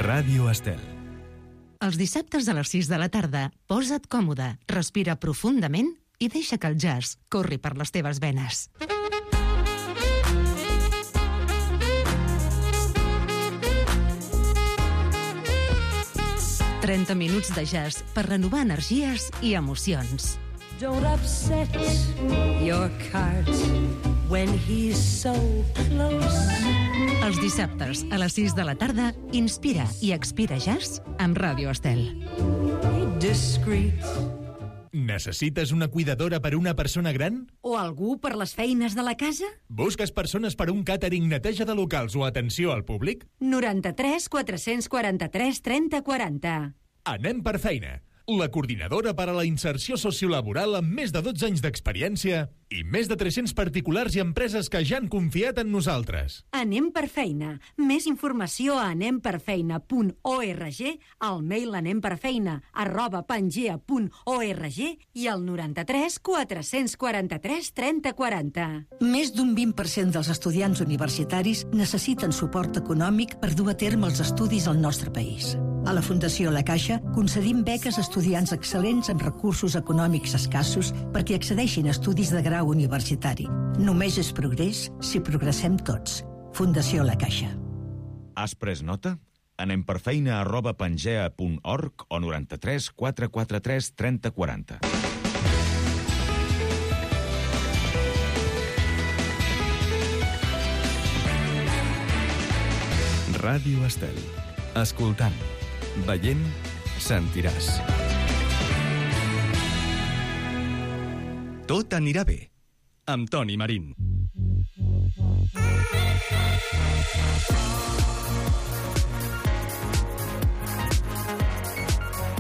Ràdio Estel. Els dissabtes a les 6 de la tarda, posa't còmode, respira profundament i deixa que el jazz corri per les teves venes. «30 minuts de jazz per renovar energies i emocions». Don't upset your cart when he's so close. Els dissabtes a les 6 de la tarda, inspira i expira jazz amb Ràdio Estel. Discreet. Necessites una cuidadora per una persona gran? O algú per les feines de la casa? Busques persones per un càtering, neteja de locals o atenció al públic? 93 443 30 40. Anem per feina. La coordinadora per a la inserció sociolaboral amb més de 12 anys d'experiència i més de 300 particulars i empreses que ja han confiat en nosaltres. Anem per feina. Més informació a anemperfeina.org, al mail anemperfeina@pangea.org i al 93 443 30 40. Més d'un 20% dels estudiants universitaris necessiten suport econòmic per dur a terme els estudis al nostre país. A la Fundació La Caixa concedim beques a estudiants excel·lents amb recursos econòmics escassos perquè accedeixin a estudis de grau universitari. Només és progrés si progressem tots. Fundació La Caixa. Has pres nota? anemperfeina@pangea.org o 93 443 30 40. Ràdio Estel. Escoltant, veient, sentiràs. Tot anirà bé, amb Toni Marín.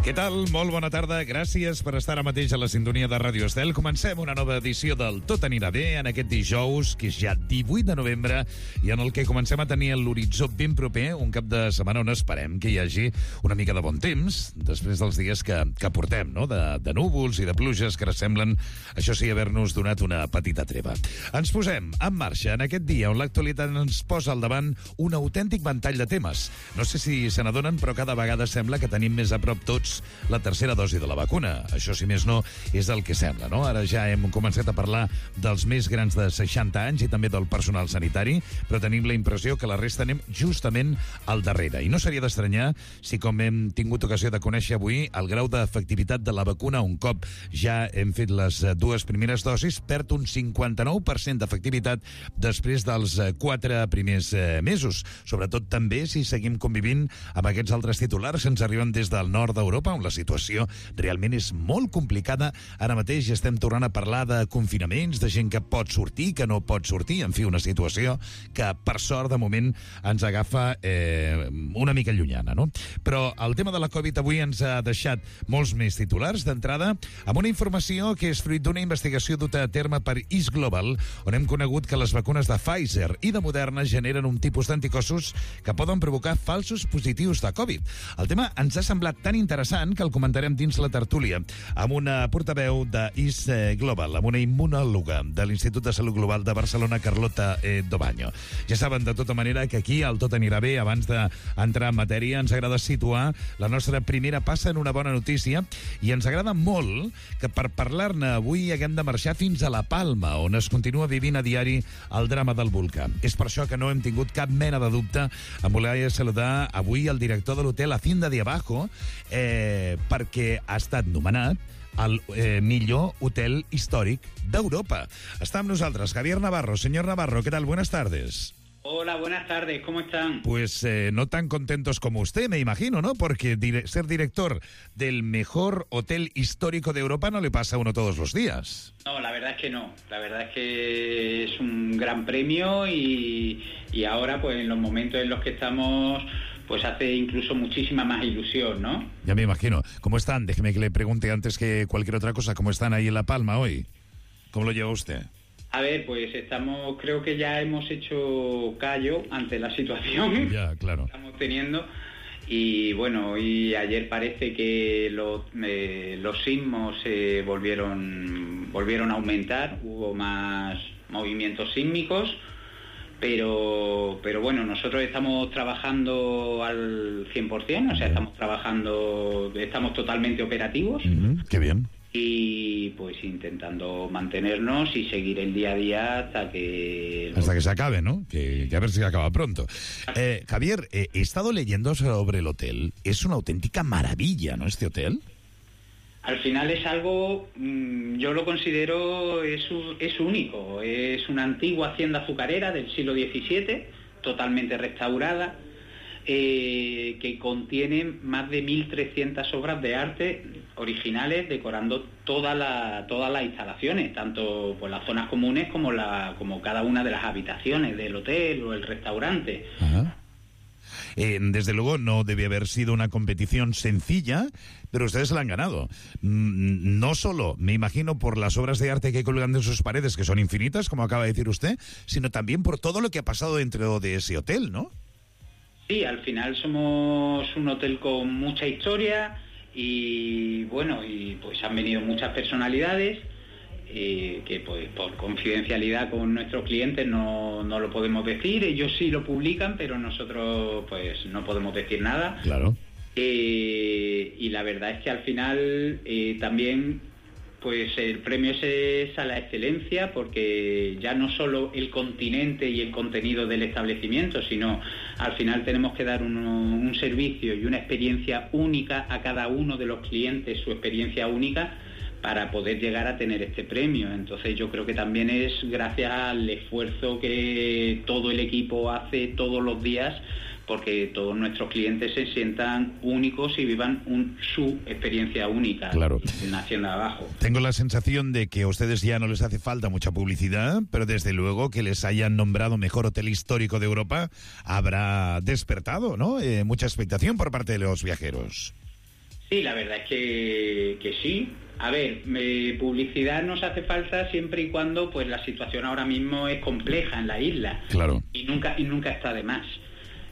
Què tal? Molt bona tarda. Gràcies per estar ara mateix a la sintonia de Ràdio Estel. Comencem una nova edició del Tot anirà bé en aquest dijous, que és ja 18 de novembre, i en el que comencem a tenir l'horitzó ben proper, un cap de setmana on esperem que hi hagi una mica de bon temps, després dels dies que portem, no? De núvols i de pluges que semblen, això sí, haver-nos donat una petita treva. Ens posem en marxa en aquest dia on l'actualitat ens posa al davant un autèntic ventall de temes. No sé si se n'adonen, però cada vegada sembla que tenim més a prop tots la tercera dosi de la vacuna. Això, si més no, és el que sembla, no? Ara ja hem començat a parlar dels més grans de 60 anys i també del personal sanitari, però tenim la impressió que la resta anem justament al darrere. I no seria d'estranyar si, com hem tingut ocasió de conèixer avui, el grau d'efectivitat de la vacuna, un cop ja hem fet les dues primeres dosis, perd un 59% d'efectivitat després dels 4 primers mesos. Sobretot també si seguim convivint amb aquests altres titulars que ens arriben des del nord d'Europa, on la situació realment és molt complicada. Ara mateix estem tornant a parlar de confinaments, de gent que pot sortir, que no pot sortir, en fi, una situació que, per sort, de moment ens agafa una mica llunyana, no? Però el tema de la Covid avui ens ha deixat molts més titulars. D'entrada, amb una informació que és fruit d'una investigació duta a terme per East Global, on hem conegut que les vacunes de Pfizer i de Moderna generen un tipus d'anticossos que poden provocar falsos positius de Covid. El tema ens ha semblat tan interessant que el comentarem dins la tertúlia amb una portaveu de East Global, amb una immunòloga de l'Institut de Salut Global de Barcelona, Carlota Dobaño. Ja saben, de tota manera, que aquí el Tot anirà bé. Abans d'entrar en matèria, ens agrada situar la nostra primera passa en una bona notícia, i ens agrada molt que per parlar-ne avui haguem de marxar fins a La Palma, on es continua vivint a diari el drama del volcà. És per això que no hem tingut cap mena de dubte en voler saludar avui el director de l'hotel Hacienda de Abajo, perquè ha estat nomenat el millor hotel històric d'Europa. Està amb nosaltres Javier Navarro. Señor Navarro, ¿qué tal? Buenas tardes. Hola, buenas tardes, ¿cómo están? Pues no tan contentos como usted, me imagino, ¿no? Porque ser director del mejor hotel histórico de Europa no le pasa a uno todos los días. No, la verdad es que no. La verdad es que es un gran premio y ahora, pues en los momentos en los que estamos, pues hace incluso muchísima más ilusión, ¿no? Ya me imagino. ¿Cómo están? Déjeme que le pregunte antes que cualquier otra cosa. ¿Cómo están ahí en La Palma hoy? ¿Cómo lo lleva usted? A ver, pues creo que ya hemos hecho callo ante la situación claro. que estamos teniendo. Y bueno, y ayer parece que los sismos volvieron a aumentar, hubo más movimientos sísmicos. Pero bueno, nosotros estamos trabajando al 100%, o sea, estamos totalmente operativos. Qué bien. Y pues intentando mantenernos y seguir el día a día hasta que se acabe, ¿no? Que a ver si acaba pronto. Javier, he estado leyendo sobre el hotel. Es una auténtica maravilla, ¿no? Este hotel. Al final es algo, yo lo considero, es único. Es una antigua hacienda azucarera del siglo XVII, totalmente restaurada, que contiene más de 1.300 obras de arte originales decorando todas las instalaciones, tanto por las zonas comunes como cada una de las habitaciones del hotel o el restaurante. Ajá. Desde luego no debe haber sido una competición sencilla, pero ustedes la han ganado. No solo, me imagino, por las obras de arte que colgan de sus paredes, que son infinitas, como acaba de decir usted, sino también por todo lo que ha pasado dentro de ese hotel, ¿no? Sí, al final somos un hotel con mucha historia y bueno, y pues han venido muchas personalidades que pues por confidencialidad con nuestros clientes no lo podemos decir. Ellos sí lo publican, pero nosotros pues no podemos decir nada. Claro. Y la verdad es que al final también pues el premio es a la excelencia, porque ya no solo el continente y el contenido del establecimiento, sino al final tenemos que dar un servicio y una experiencia única a cada uno de los clientes, su experiencia única, para poder llegar a tener este premio. Entonces yo creo que también es gracias al esfuerzo que todo el equipo hace todos los días, porque todos nuestros clientes se sientan únicos y vivan su experiencia única. Claro. En la Hacienda de Abajo. Tengo la sensación de que a ustedes ya no les hace falta mucha publicidad, pero desde luego que les hayan nombrado mejor hotel histórico de Europa habrá despertado, ¿no? Mucha expectación por parte de los viajeros. Sí, la verdad es que sí. A ver, publicidad nos hace falta siempre y cuando pues la situación ahora mismo es compleja en la isla. Claro. Y nunca está de más.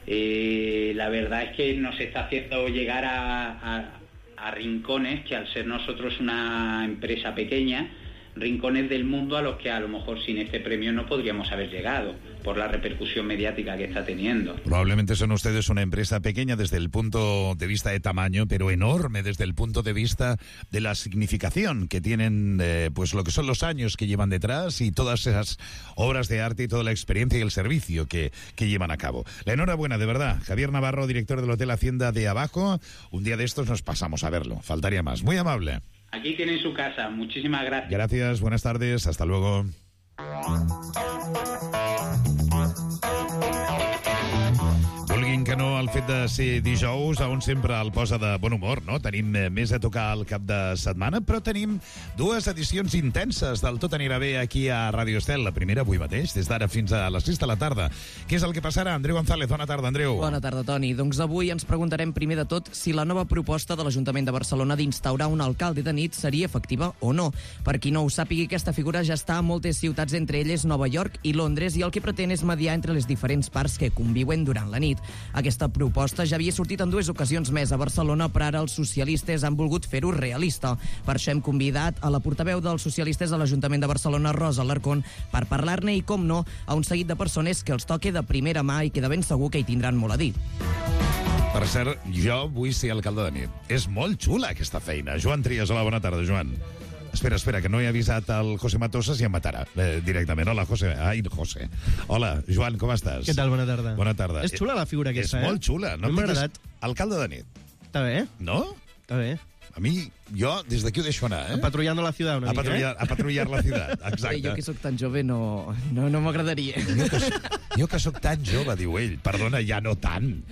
La verdad es que nos está haciendo llegar a rincones que, al ser nosotros una empresa pequeña, rincones del mundo a los que a lo mejor sin este premio no podríamos haber llegado, por la repercusión mediática que está teniendo. Probablemente son ustedes una empresa pequeña desde el punto de vista de tamaño, pero enorme desde el punto de vista de la significación que tienen, pues lo que son los años que llevan detrás y todas esas obras de arte y toda la experiencia y el servicio que llevan a cabo. La enhorabuena, de verdad. Javier Navarro, director del Hotel Hacienda de Abajo. Un día de estos nos pasamos a verlo. Faltaría más. Muy amable. Aquí tienen su casa. Muchísimas gracias. Gracias, buenas tardes. Hasta luego. Vulguin que no, el fet de ser dijous a un sempre el posa de bon humor, no? Tenim més a tocar al cap de setmana, però tenim dues edicions intenses del Tot anirà bé aquí a Ràdio Estel. La primera avui mateix, des d'ara fins a les 6 de la tarda. Què és el que passarà? Andreu González, bona tarda, Andreu. Bona tarda, Toni. Doncs avui ens preguntarem primer de tot si la nova proposta de l'Ajuntament de Barcelona d'instaurar un alcalde de nit seria efectiva o no. Per qui no ho sàpigui, aquesta figura ja està a moltes ciutats, entre elles Nova York i Londres, i el que pretén és mediar entre les diferents parts que conviuen durant la nit. Aquesta proposta ja havia sortit en dues ocasions més a Barcelona, però ara els socialistes han volgut fer-ho realista. Per això hem convidat a la portaveu dels socialistes a l'Ajuntament de Barcelona, Rosa Alarcón, per parlar-ne i, com no, a un seguit de persones que els toque de primera mà i que de ben segur que hi tindran molt a dir. Per cert, jo vull ser alcalde de nit. És molt xula aquesta feina. Joan Trias, hola, bona tarda, Joan. Espera, que no he avisat al José Matosas i em matarà directament. Hola, José. Ai, José. Hola, Joan, com estàs? Què tal? Bona tarda. Bona tarda. És xula la figura aquesta, És molt xula. No m'ha agradat. Alcalde de nit. Està bé. No? Està bé. A mi, jo, des d'aquí ho deixo anar, Patrullando la ciudad una mica, A patrullar la ciudad, exacte. Jo que sóc tan jove no m'agradaria. Jo que sóc tan jove, diu ell. Perdona, ja no tant,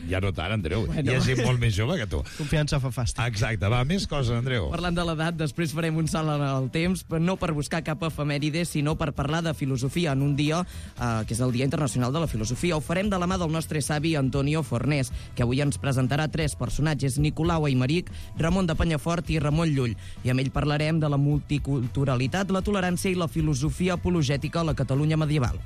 Andreu. Bueno. Hi ha gent molt més jove que tu. Confiança fa fàstic. Exacte, va, més coses, Andreu. Parlant de l'edat, després farem un salt en el temps, no per buscar cap efemèride, sinó per parlar de filosofia en un dia que és el Dia Internacional de la Filosofia. Ho farem de la mà del nostre savi Antonio Fornés, que avui ens presentarà tres personatges: Nicolau Aymeric, Ramon de Penyafort i Ramon Llull. I amb ell parlarem de la multiculturalitat, la tolerància i la filosofia apologètica a la Catalunya medieval.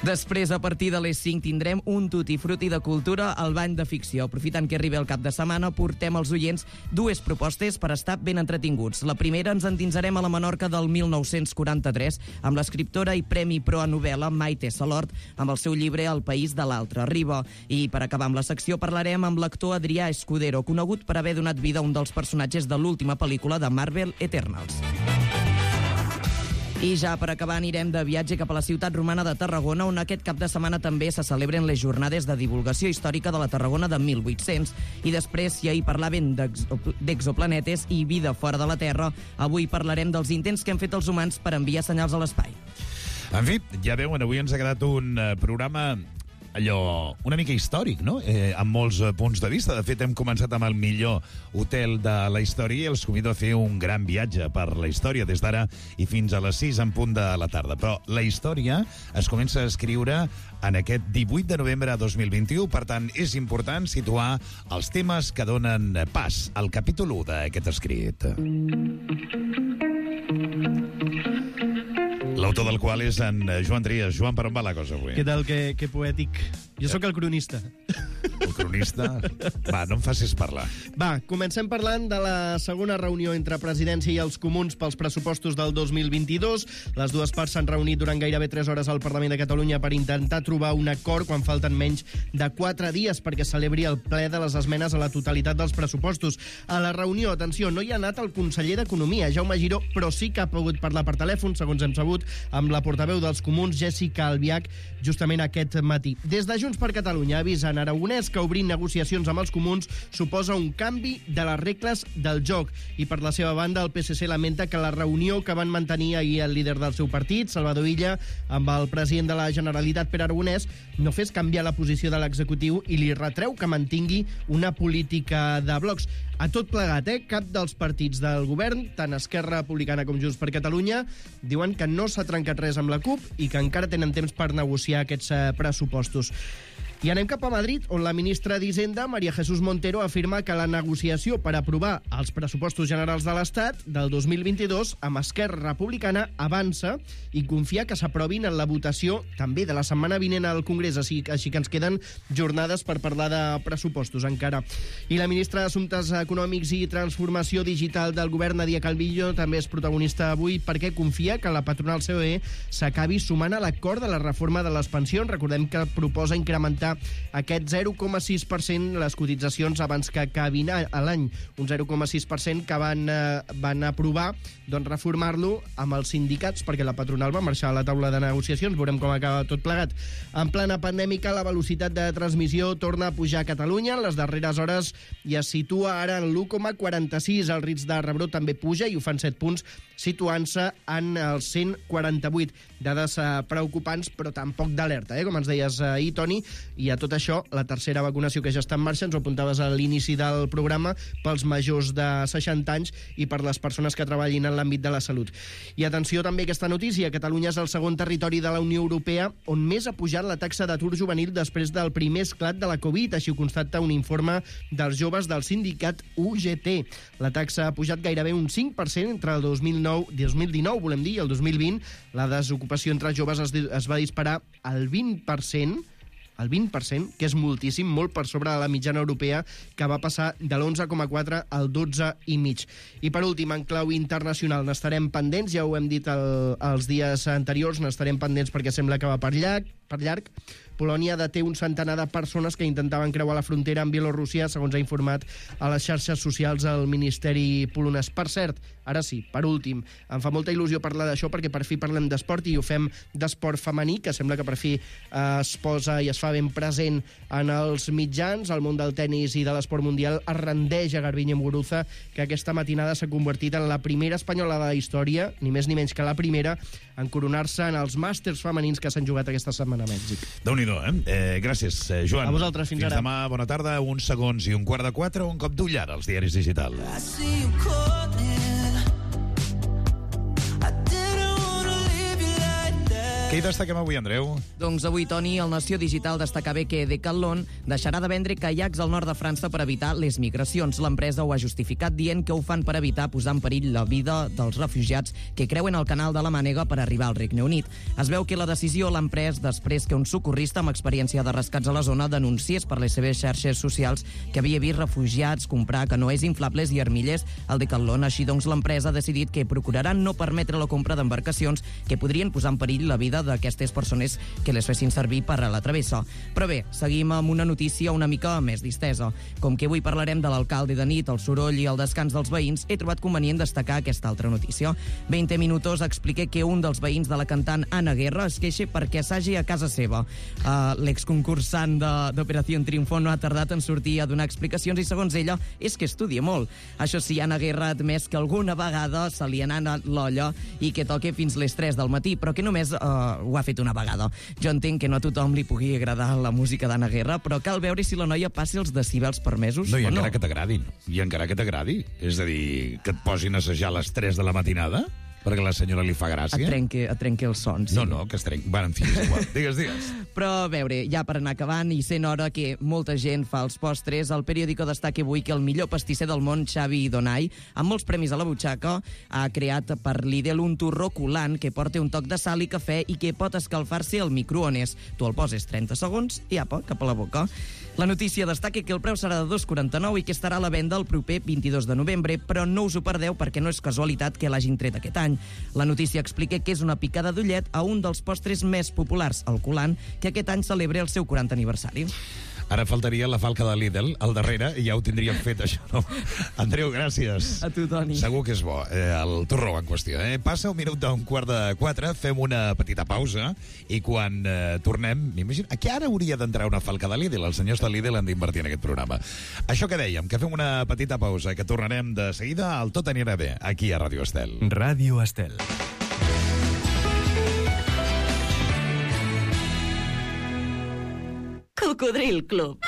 Després, a partir de les 5, tindrem un tutti frutti de cultura al bany de ficció. Aprofitant que arribi el cap de setmana, portem als oients dues propostes per estar ben entretinguts. La primera, ens endinsarem a la Menorca del 1943 amb l'escriptora i Premi Pro a novel·la Maite Salort amb el seu llibre El país de l'altre riba. I per acabar amb la secció parlarem amb l'actor Adrià Escudero, conegut per haver donat vida a un dels personatges de l'última pel·lícula de Marvel, Eternals. I ja per acabar anirem de viatge cap a la ciutat romana de Tarragona, on aquest cap de setmana també se celebren les jornades de divulgació històrica de la Tarragona de 1800. I després, si ahir parlaven d'exoplanetes i vida fora de la Terra, avui parlarem dels intents que han fet els humans per enviar senyals a l'espai. En fi, ja veuen, avui ens ha quedat un programa allò una mica històric, no? Amb molts punts de vista. De fet, hem començat amb el millor hotel de la història i els convido a fer un gran viatge per la història des d'ara i fins a les 6 en punt de la tarda. Però la història es comença a escriure en aquest 18 de novembre de 2021. Per tant, és important situar els temes que donen pas al capítol 1 d'aquest escrit. L'autor del qual és en Joan Trias. Joan, per on va la cosa avui? Què tal, que poètic. Jo sóc el cronista. El cronista? Va, no em facis parlar. Va, comencem parlant de la segona reunió entre Presidència i els Comuns pels pressupostos del 2022. Les dues parts s'han reunit durant gairebé 3 hores al Parlament de Catalunya per intentar trobar un acord quan falten menys de 4 dies perquè celebri el ple de les esmenes a la totalitat dels pressupostos. A la reunió, atenció, no hi ha anat el conseller d'Economia, Jaume Giró, però sí que ha pogut parlar per telèfon, segons hem sabut, amb la portaveu dels Comuns, Jessica Albiach, justament aquest matí. Des de Junts per Catalunya avisen Aragonès que obrir negociacions amb els Comuns suposa un canvi de les regles del joc. I per la seva banda, el PSC lamenta que la reunió que van mantenir ahir el líder del seu partit, Salvador Illa, amb el president de la Generalitat, Pere Aragonès, no fes canviar la posició de l'executiu i li retreu que mantingui una política de blocs. A tot plegat, cap dels partits del govern, tant Esquerra Republicana com Junts per Catalunya, diuen que no s'ha trencat res amb la CUP i que encara tenen temps per negociar aquests pressupostos. I anem cap a Madrid, on la ministra d'Hisenda, María Jesús Montero, afirma que la negociació per aprovar els pressupostos generals de l'Estat del 2022 amb Esquerra Republicana avança i confia que s'aprovin en la votació també de la setmana vinent al Congrés, així que ens queden jornades per parlar de pressupostos encara. I la ministra d'Assumptes Econòmics i Transformació Digital del govern, Nadia Calviño, també és protagonista avui perquè confia que la patronal COE s'acabi sumant a l'acord de la reforma de les pensions. Recordem que proposa incrementar aquest 0,6% les cotitzacions abans que acabin l'any. Un 0,6% que van aprovar reformar-lo amb els sindicats perquè la patronal va marxar a la taula de negociacions. Veurem com acaba tot plegat. En plena pandèmica, la velocitat de transmissió torna a pujar a Catalunya. En les darreres hores ja es situa ara en l'1,46. El risc de rebrot també puja i ho fan 7 punts, situant-se en els 148. Dades preocupants, però tampoc d'alerta, com ens deies ahir, Toni. I a tot això, la tercera vacunació que ja està en marxa, ens ho apuntaves a l'inici del programa, pels majors de 60 anys i per les persones que treballin en l'àmbit de la salut. I atenció també a aquesta notícia. Catalunya és el segon territori de la Unió Europea on més ha pujat la taxa d'atur juvenil després del primer esclat de la Covid. Així ho constata un informe dels joves del sindicat UGT. La taxa ha pujat gairebé un 5% entre el 2019, volem dir, i el 2020. La desocupació entre els joves es va disparar al 20%, que és moltíssim, molt per sobre de la mitjana europea, que va passar de l'11,4 al 12,5. I per últim, en clau internacional, n'estarem pendents, ja ho hem dit els dies anteriors, n'estarem pendents perquè sembla que va per llarg. Polònia deté un centenar de persones que intentaven creuar la frontera amb Bielorússia, segons ha informat a les xarxes socials el Ministeri polonès. Per cert, ara sí, per últim, em fa molta il·lusió parlar d'això perquè per fi parlem d'esport i ho fem d'esport femení, que sembla que per fi es posa i es fa ben present en els mitjans. El món del tennis i de l'esport mundial es rendeix a Garbiñe Muguruza, que aquesta matinada s'ha convertit en la primera espanyola de la història, ni més ni menys que la primera, en coronar-se en els màsters femenins que s'han jugat aquesta setmana a Mèxic. Déu-n'hi-do, gràcies, Joan. A vosaltres, fins ara. Demà, bona tarda, uns segons i un quart de 4, un cop d'ull ara als diaris digitals. Què hi destaquem avui, Andreu? Doncs avui, Toni, el Nació Digital destaca bé que Decathlon deixarà de vendre caiacs al nord de França per evitar les migracions. L'empresa ho ha justificat dient que ho fan per evitar posar en perill la vida dels refugiats que creuen el canal de la Mànega per arribar al Regne Unit. Es veu que la decisió l'han pres després que un socorrista amb experiència de rescats a la zona denunciés per les seves xarxes socials que havia vist refugiats comprar canoes inflables i armilles al Decathlon. Així doncs, l'empresa ha decidit que procuraran no permetre la compra d'embarcacions que podrien posar en perill la vida d'aquestes persones que les fessin servir per a la travessa. Però bé, seguim amb una notícia una mica més distesa. Com que avui parlarem de l'alcalde de nit, el soroll i el descans dels veïns, he trobat convenient destacar aquesta altra notícia. 20 minutos expliqué que un dels veïns de la cantant Ana Guerra es queixa perquè assagi a casa seva. L'exconcursant d'Operació Triunfo no ha tardat en sortir a donar explicacions i, segons ella, és que estudia molt. Això sí, Ana Guerra ha admès que alguna vegada se li ha anat l'olla i que toca fins les 3 del matí, però que només ho ha fet una vegada. Jo entenc que no a tothom li pugui agradar la música d'Ana Guerra, però cal veure si la noia passi els decibels permesos no, i o no. encara que t'agradin. I encara que t'agradi. És a dir, que et posin a assajar a les 3 de la matinada perquè a la senyora li fa gràcia. Et trenqui els sons. Sí. No, que es trenqui. Va, en fi, és igual. Digues. Però, a veure, ja per anar acabant i sent hora que molta gent fa els postres, el periòdico destaca avui que el millor pastisser del món, Xavi Donai, amb molts premis a la butxaca, ha creat per Lidl un torró colant que porta un toc de sal i cafè i que pot escalfar-se al microones. Tu el poses 30 segons i apa, cap a la boca. La notícia destaca que el preu serà de 2,49 i que estarà a la venda el proper 22 de novembre, però no us ho perdeu perquè no és casualitat que l'hagin tret aquest any. La notícia explica que és una picada d'ullet a un dels postres més populars, el coulant, que aquest any celebra el seu 40 aniversari. Ara faltaria la falca de Lidl al darrere i ja ho tindríem fet, això, no? Andreu, gràcies. A tu, Toni. Segur que és bo, el torró en qüestió. Passa un minut d'un 3:15, fem una petita pausa i quan tornem, m'imagino, que ara hauria d'entrar una falca de Lidl. Els senyors de Lidl han d'invertir en aquest programa. Això que dèiem, que fem una petita pausa, que tornarem de seguida al Tot anirà bé, aquí a Ràdio Estel. Ràdio Estel. Cocodril Club.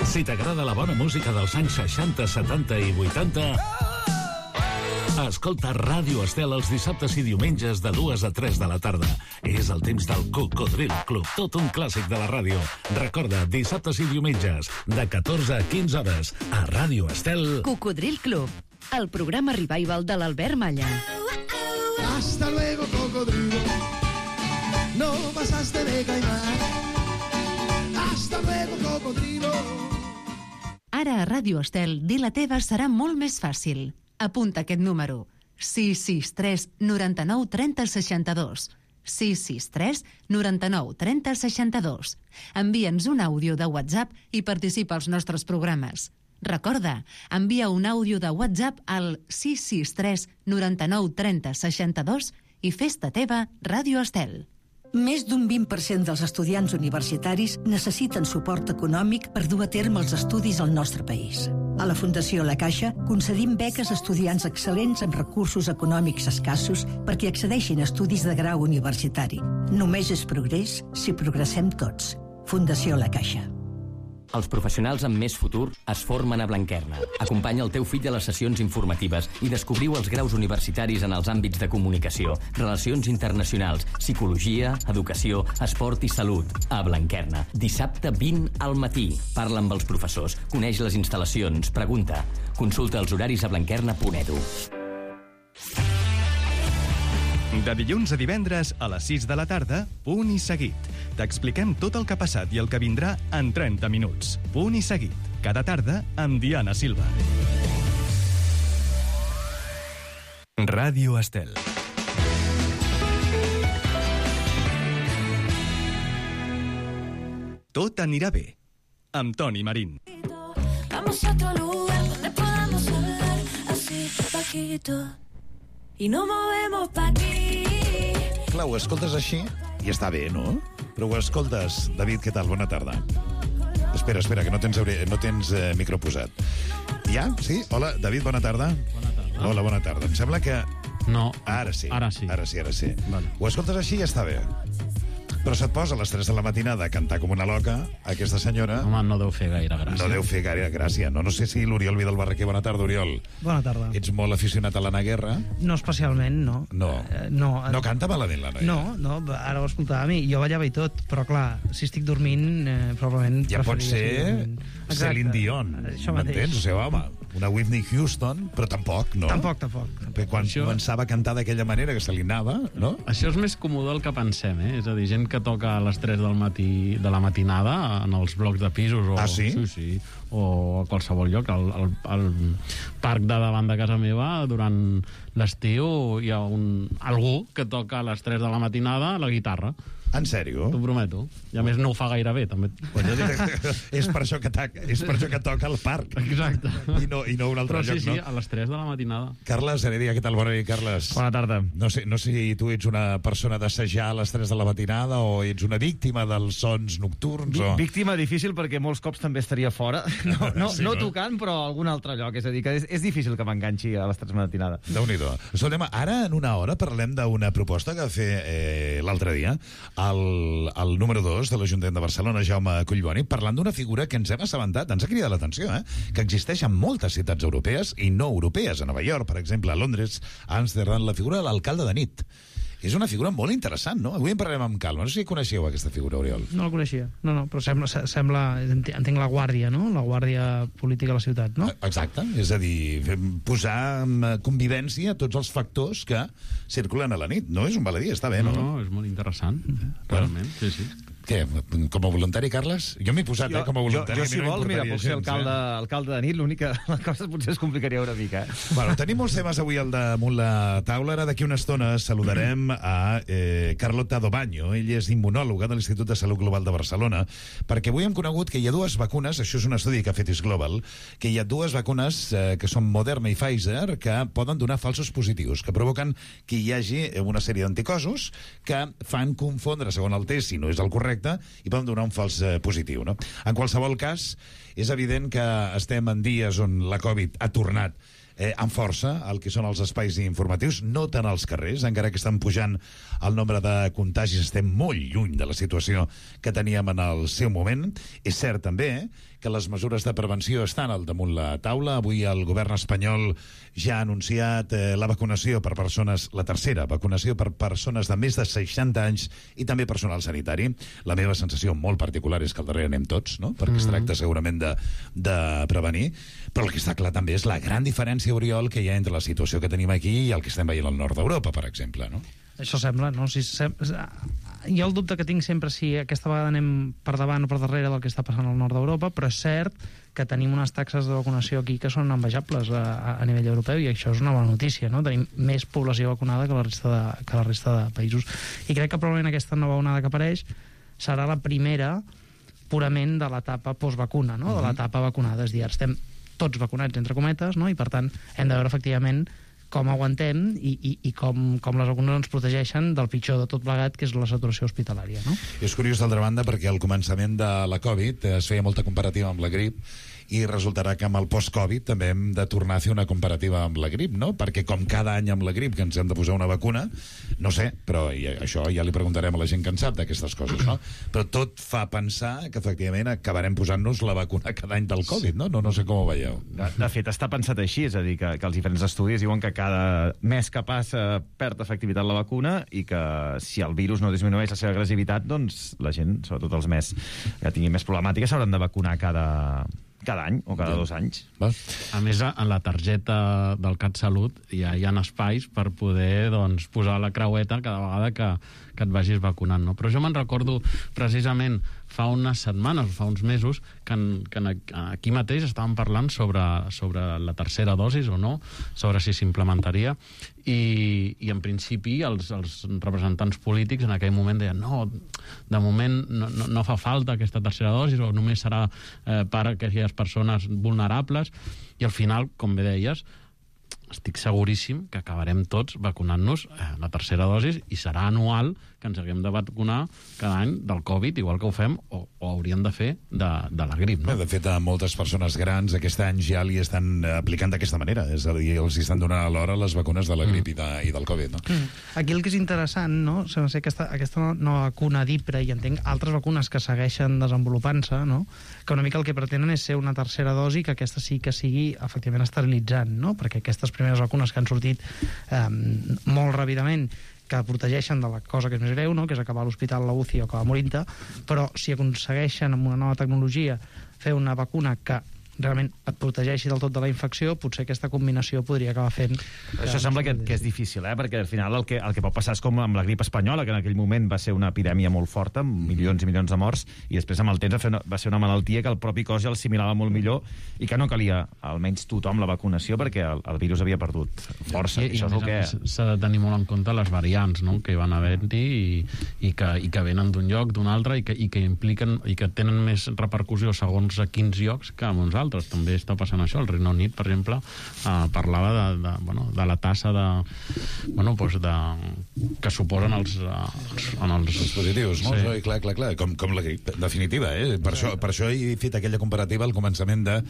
Si t'agrada la bona música dels anys 60, 70 i 80, escolta Ràdio Estel els dissabtes i diumenges de 2 a 3 de la tarda. És el temps del Cocodril Club, tot un clàssic de la ràdio. Recorda, dissabtes i diumenges, de 14 a 15 hores, a Ràdio Estel. Cocodril Club, el programa revival de l'Albert Malla. Hasta luego, cocodrilo. No pasaste de caimán. Hasta luego, cocodrilo. Ara a Ràdio Estel, dir la teva serà molt més fàcil. Apunta aquest número. 663 99 30 62. 663 99 30 62. Envia'ns un àudio de WhatsApp i participa als nostres programes. Recorda, envia un àudio de WhatsApp al 663 99 30 62 i fes-te teva Ràdio Estel. Més d'un 20% dels estudiants universitaris necessiten suport econòmic per dur a terme els estudis al nostre país. A la Fundació La Caixa concedim beques a estudiants excel·lents amb recursos econòmics escassos perquè accedeixin a estudis de grau universitari. Només és progrés si progressem tots. Fundació La Caixa. Els professionals amb més futur es formen a Blanquerna. Acompanya el teu fill a les sessions informatives i descobriu els graus universitaris en els àmbits de comunicació, relacions internacionals, psicologia, educació, esport i salut. A Blanquerna. Dissabte 20 al matí. Parla amb els professors, coneix les instal·lacions, pregunta. Consulta els horaris a blanquerna.edu. De dilluns a divendres a les 6 de la tarda, Punt i Seguit. T'expliquem tot el que ha passat i el que vindrà en 30 minuts. Punt i Seguit. Cada tarda amb Diana Silva. Ràdio Estel. Tot anirà bé. Amb Toni Marín. Vamos a otro lugar donde podamos hablar así bajito y no movemos pa' aquí. Clar, ho escoltes així i està bé, no? Però ho escoltes. David, què tal? Bona tarda. Espera, que no tens micro posat. Ja? Sí? Hola, David, bona tarda. Bona tarda. Hola, bona tarda. Em sembla que... No. Ara sí. Ara sí. Vale. Ho escoltes així i ja està bé. Però se't posa a les 3 de la matinada a cantar com una loca, aquesta senyora... Home, no deu fer gaire gràcia. No deu fer gaire gràcia. No sé si l'Oriol Vidal Barraquer... Bona tarda, Oriol. Bona tarda. Ets molt aficionat a l'Anna Guerra? No especialment, no. No canta malament, la noia? No, ara ho escoltàvem i jo ballava i tot, però clar, si estic dormint, probablement... Ja pot ser Celine Dion, m'entens? O sigui, home, una Whitney Houston, però tampoc, no? Tampoc. Perquè quan començava a cantar d'aquella manera que se li anava, no? Això és més comú del que pensem, eh? És a dir, gent que toca a les 3 del matí de la matinada en els blocs de pisos o... Ah, sí? Sí, o a qualsevol lloc. Al parc de davant de casa meva, durant l'estiu, hi ha algú que toca a les 3 de la matinada la guitarra. En sèrio? T'ho prometo. I a més no ho fa gaire bé, també. És per això que toca al parc. Exacte. I no un altre lloc, no? Sí, a les 3 de la matinada. Carles Heredia, què tal? Bona nit, Carles. Bona tarda. No sé si tu ets una persona d'assajar a les 3 de la matinada o ets una víctima dels sons nocturns o... Víctima difícil perquè molts cops també estaria fora. No tocant, però a algun altre lloc. És a dir, que és difícil que m'enganxi a les 3 de la matinada. Déu-n'hi-do. Escoltem, ara en una hora parlem d'una proposta que va fer l'altre dia el número 2 de l'Ajuntament de Barcelona, Jaume Collboni, parlant d'una figura que ens hem assabentat, ens ha cridat l'atenció, que existeix en moltes ciutats europees i no europees, a Nova York, per exemple, a Londres, a Amsterdam, la figura de l'alcalde de nit. És una figura molt interessant, no? Avui en parlarem amb calma. No sé si coneixeu aquesta figura, Oriol. No la coneixia. No, però sembla entenc la guàrdia, no? La guàrdia política de la ciutat, no? Exacte. És a dir, posar en convivència tots els factors que circulen a la nit. No és un baladí, està bé, no? No, és molt interessant. Realment, sí. Què? Com a voluntari, Carles? Jo m'he posat, com a voluntari. Jo, si vols, mira, puc ser alcalde de nit, l'única cosa potser es complicaria una mica. Bueno, tenim molts temes avui al damunt la taula. Ara, d'aquí una estona, saludarem a Carlota Dobaño. Ell és immunòloga de l'Institut de Salut Global de Barcelona, perquè avui hem conegut que hi ha dues vacunes, això és un estudi que ha fet Global, que hi ha dues vacunes que són Moderna i Pfizer, que poden donar falsos positius, que provoquen que hi hagi una sèrie d'anticossos que fan confondre, segons el test, si no és el correcte, i poden donar un fals positiu, no? En qualsevol cas, és evident que estem en dies on la Covid ha tornat amb força al que són els espais informatius, no tant als carrers, encara que estan pujant el nombre de contagis, estem molt lluny de la situació que teníem en el seu moment. És cert també que les mesures de prevenció estan al damunt la taula. Avui el govern espanyol ja ha anunciat la vacunació per persones, la tercera vacunació per persones de més de 60 anys i també personal sanitari. La meva sensació molt particular és que al darrere anem tots, no? Perquè es tracta segurament de prevenir, però el que està clar també és la gran diferència, Oriol, que hi ha entre la situació que tenim aquí i el que estem veient al nord d'Europa, per exemple, no? Això sembla, no? Jo el dubte que tinc sempre si aquesta vegada anem per davant o per darrere del que està passant al nord d'Europa, però és cert que tenim unes taxes de vacunació aquí que són envejables a nivell europeu, i això és una bona notícia, no? Tenim més població vacunada que la resta de països. I crec que probablement aquesta nova onada que apareix serà la primera purament de l'etapa postvacuna, no? De l'etapa vacunada. És a dir, estem tots vacunats, entre cometes, no? I per tant hem de veure efectivament com aguantem i com les vacunes ens protegeixen del pitjor de tot plegat, que és la saturació hospitalària, no? És curiós, d'altra banda, perquè al començament de la Covid es feia molta comparativa amb la grip, i resultarà que amb el post-Covid també hem de tornar a fer una comparativa amb la grip, no? Perquè com cada any amb la grip que ens hem de posar una vacuna, no sé, però això ja li preguntarem a la gent que en sap d'aquestes coses, no? Però tot fa pensar que efectivament acabarem posant-nos la vacuna cada any del Covid, no? No sé com ho veieu. De fet, està pensat així, és a dir, que els diferents estudis diuen que cada mes que passa perd efectivitat la vacuna i que si el virus no disminueix la seva agressivitat, doncs la gent, sobretot els més que tinguin més problemàtiques, s'hauran de vacunar cada any o cada 2 anys. A més, en la targeta del CatSalut ja hi ha espais per poder posar la creueta cada vegada que et vagis vacunant, no? Però jo me'n recordo precisament fa unes setmanes, fa uns mesos, que aquí mateix estàvem parlant sobre la tercera dosis o no, sobre si s'implementaria, i en principi els representants polítics en aquell moment deien no, de moment no fa falta aquesta tercera dosis, o només serà per a aquelles persones vulnerables, i al final, com bé deies, estic seguríssim que acabarem tots vacunant-nos la tercera dosi i serà anual que ens haguem de vacunar cada any del Covid, igual que ho fem o hauríem de fer de la grip. No? De fet, a moltes persones grans aquest any ja li estan aplicant d'aquesta manera, és a dir, els estan donant alhora les vacunes de la grip i del Covid. No? Aquí el que és interessant, no? Sembla ser aquesta nova vacuna d'Ipre, i entenc altres vacunes que segueixen desenvolupant-se, no? Que una mica el que pretenen és ser una tercera dosi, que aquesta sí que sigui efectivament esterilitzant, no? Perquè aquestes primeres vacunes que han sortit molt ràpidament, que protegeixen de la cosa que és més greu, no? Que és acabar a l'hospital, a la UCI o acabar morint-te, però si aconsegueixen amb una nova tecnologia fer una vacuna que realment et protegeixi del tot de la infecció, potser aquesta combinació podria acabar fent... Això sembla que és difícil, perquè al final el que pot passar és com amb la grip espanyola, que en aquell moment va ser una epidèmia molt forta, amb milions i milions de morts, i després amb el temps va ser una malaltia que el propi cos ja l'assimilava molt millor i que no calia, almenys tothom, la vacunació, perquè el virus havia perdut força. I això és el que... S'ha de tenir molt en compte les variants, no?, que van havent-hi i que venen d'un lloc, d'un altre, i que impliquen i que tenen més repercussió segons a quins llocs que a uns altres. També està passant això. El Regne Unit, per exemple, parlava de la tassa que suposen els positius, no? Sí. Clar, com la grip, definitiva, eh? Per això he fet aquella comparativa al començament de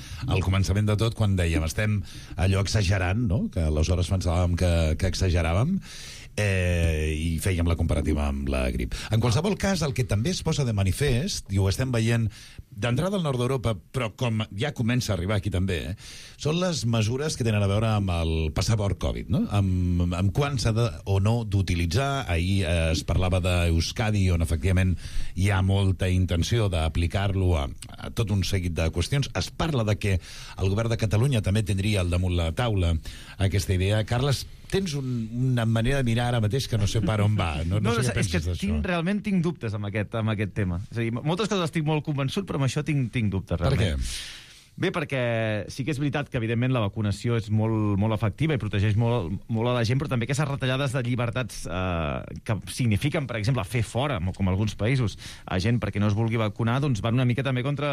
tot, quan dèiem estem allò exagerant, no? Que aleshores pensàvem que exageràvem, i fèiem la comparativa amb la grip. En qualsevol cas, el que també es posa de manifest, i ho estem veient d'entrada al nord d'Europa, però com ja comença a arribar aquí també, són les mesures que tenen a veure amb el passaport Covid, no? Amb quan s'ha o no d'utilitzar. Ahir es parlava d'Euskadi, on efectivament hi ha molta intenció d'aplicar-lo a tot un seguit de qüestions. Es parla de que el govern de Catalunya també tindria al damunt la taula aquesta idea. Carles, tens una manera de mirar ara mateix que no sé per on va. No sé què penses d'això. Realment tinc dubtes amb aquest tema. És a dir, moltes coses estic molt convençut, però amb això tinc dubtes, realment. Per què? Bé, perquè sí que és veritat que, evidentment, la vacunació és molt, molt efectiva i protegeix molt a la gent, però també aquestes retallades de llibertats que signifiquen, per exemple, fer fora, com alguns països, a gent perquè no es vulgui vacunar, doncs van una mica també contra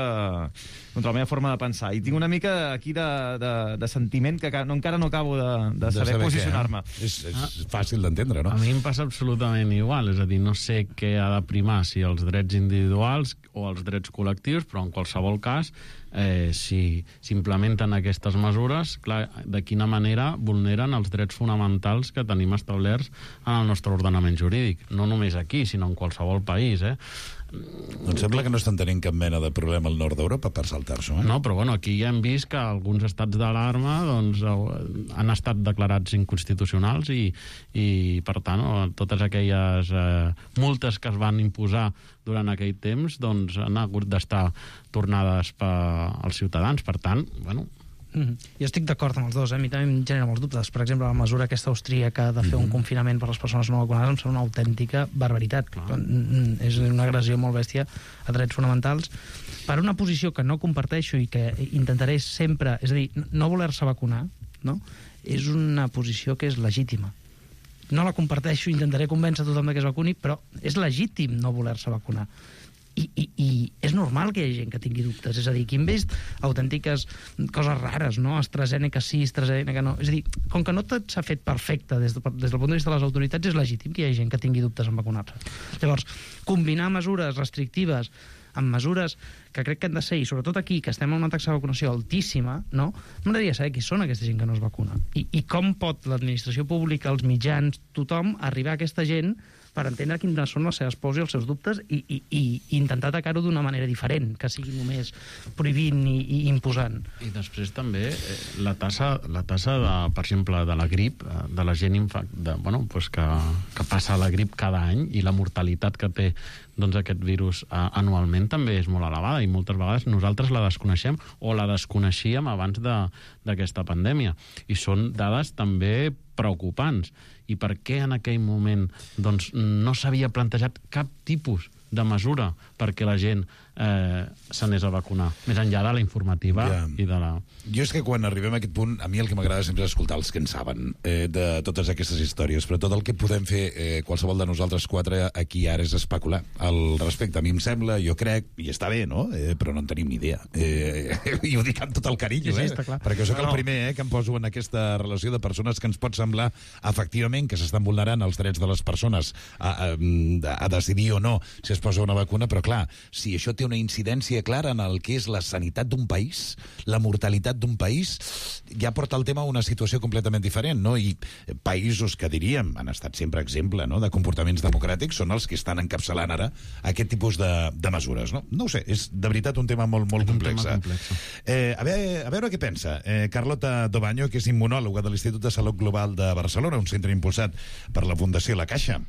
la meva forma de pensar. I tinc una mica aquí de sentiment que encara no acabo de saber posicionar-me. És fàcil d'entendre, no? A mi em passa absolutament igual, és a dir, no sé què ha de primar, si els drets individuals o els drets col·lectius, però en qualsevol cas si s'implementen aquestes mesures, clar, de quina manera vulneren els drets fonamentals que tenim establerts en el nostre ordenament jurídic, no només aquí, sinó en qualsevol país, Doncs sembla que no estan tenint cap mena de problema al nord d'Europa per saltar-s'ho, No, però bueno, aquí ja hem vist que alguns estats d'alarma doncs, han estat declarats inconstitucionals i per tant, totes aquelles multes que es van imposar durant aquell temps doncs, han hagut d'estar tornades als ciutadans. Per tant, bueno... Jo estic d'acord amb els dos, a mi també em genera molts dubtes. Per exemple, la mesura aquesta austríaca de fer un confinament per a les persones no vacunades em sembla una autèntica barbaritat. És una agressió molt bèstia a drets fonamentals per una posició que no comparteixo i que intentaré sempre... És a dir, no voler-se vacunar, no? És una posició que és legítima. No la comparteixo, intentaré convèncer tothom que es vacuni, però és legítim no voler-se vacunar. I és normal que hi hagi gent que tingui dubtes. És a dir, aquí hem vist autèntiques coses rares, no? AstraZeneca sí, AstraZeneca no. És a dir, com que no tot s'ha fet perfecte des del punt de vista de les autoritats, és legítim que hi hagi gent que tingui dubtes en vacunar-se. Llavors, combinar mesures restrictives amb mesures que crec que han de ser, i sobretot aquí, que estem en una taxa de vacunació altíssima, no? M'agradaria saber qui són aquesta gent que no es vacuna. I com pot l'administració pública, els mitjans, tothom, arribar a aquesta gent per entendre quines són les seves pors i els seus dubtes i intentar atacar-ho d'una manera diferent, que sigui només prohibint i imposant. I després també la tassa de, per exemple, de la grip, de la gent que passa la grip cada any, i la mortalitat que té doncs, aquest virus anualment també és molt elevada, i moltes vegades nosaltres la desconeixem o la desconeixíem abans d'aquesta pandèmia. I són dades també preocupants. i per què en aquell moment doncs, no s'havia plantejat cap tipus de mesura perquè la gent s'anés a vacunar, més enllà de la informativa i de la... Jo és que quan arribem a aquest punt, a mi el que m'agrada sempre és escoltar els que en saben de totes aquestes històries, però tot el que podem fer qualsevol de nosaltres quatre aquí ara és especular al respecte. A mi em sembla, jo crec, i està bé, no? Però no en tenim ni idea. I ho dic amb tot el carinyo, perquè sóc el primer que em poso en aquesta relació de persones que ens pot semblar efectivament que s'estan vulnerant els drets de les persones a decidir o no si es posa una vacuna, però clar, si això té una incidència clara en el que és la sanitat d'un país, la mortalitat d'un país, ja porta el tema a una situació completament diferent, no? I països que diríem han estat sempre exemple, no?, de comportaments democràtics són els que estan encapçalant ara aquest tipus de mesures, no? No ho sé, és de veritat un tema molt complex. A veure què pensa Carlota Dobaño, que és immunòloga de l'Institut de Salut Global de Barcelona, un centre impulsat per la Fundació La Caixa.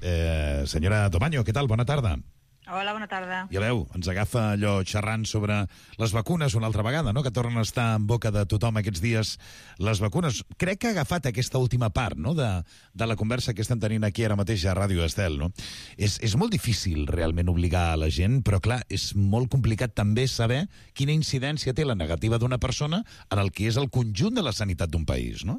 Senyora Dobaño, què tal? Bona tarda. Hola, bona tarda. Ja veu, ens agafa allò xerrant sobre les vacunes una altra vegada, no?, que tornen a estar en boca de tothom aquests dies, les vacunes. Crec que ha agafat aquesta última part, no?, de la conversa que estem tenint aquí ara mateix a Ràdio Estel, no? És molt difícil realment obligar a la gent, però clar, és molt complicat també saber quina incidència té la negativa d'una persona en el que és el conjunt de la sanitat d'un país, no?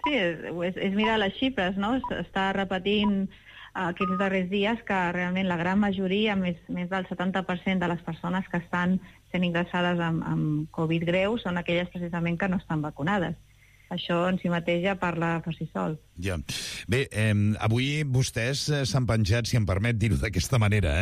Sí, és mirar les xifres, no? Està repetint aquests darrers dies que realment la gran majoria, més del 70% de les persones que estan sent ingressades amb Covid greu són aquelles precisament que no estan vacunades. Això en si mateix ja parla per si sol. Ja. Bé, avui vostès s'han penjat, si em permet dir-ho d'aquesta manera,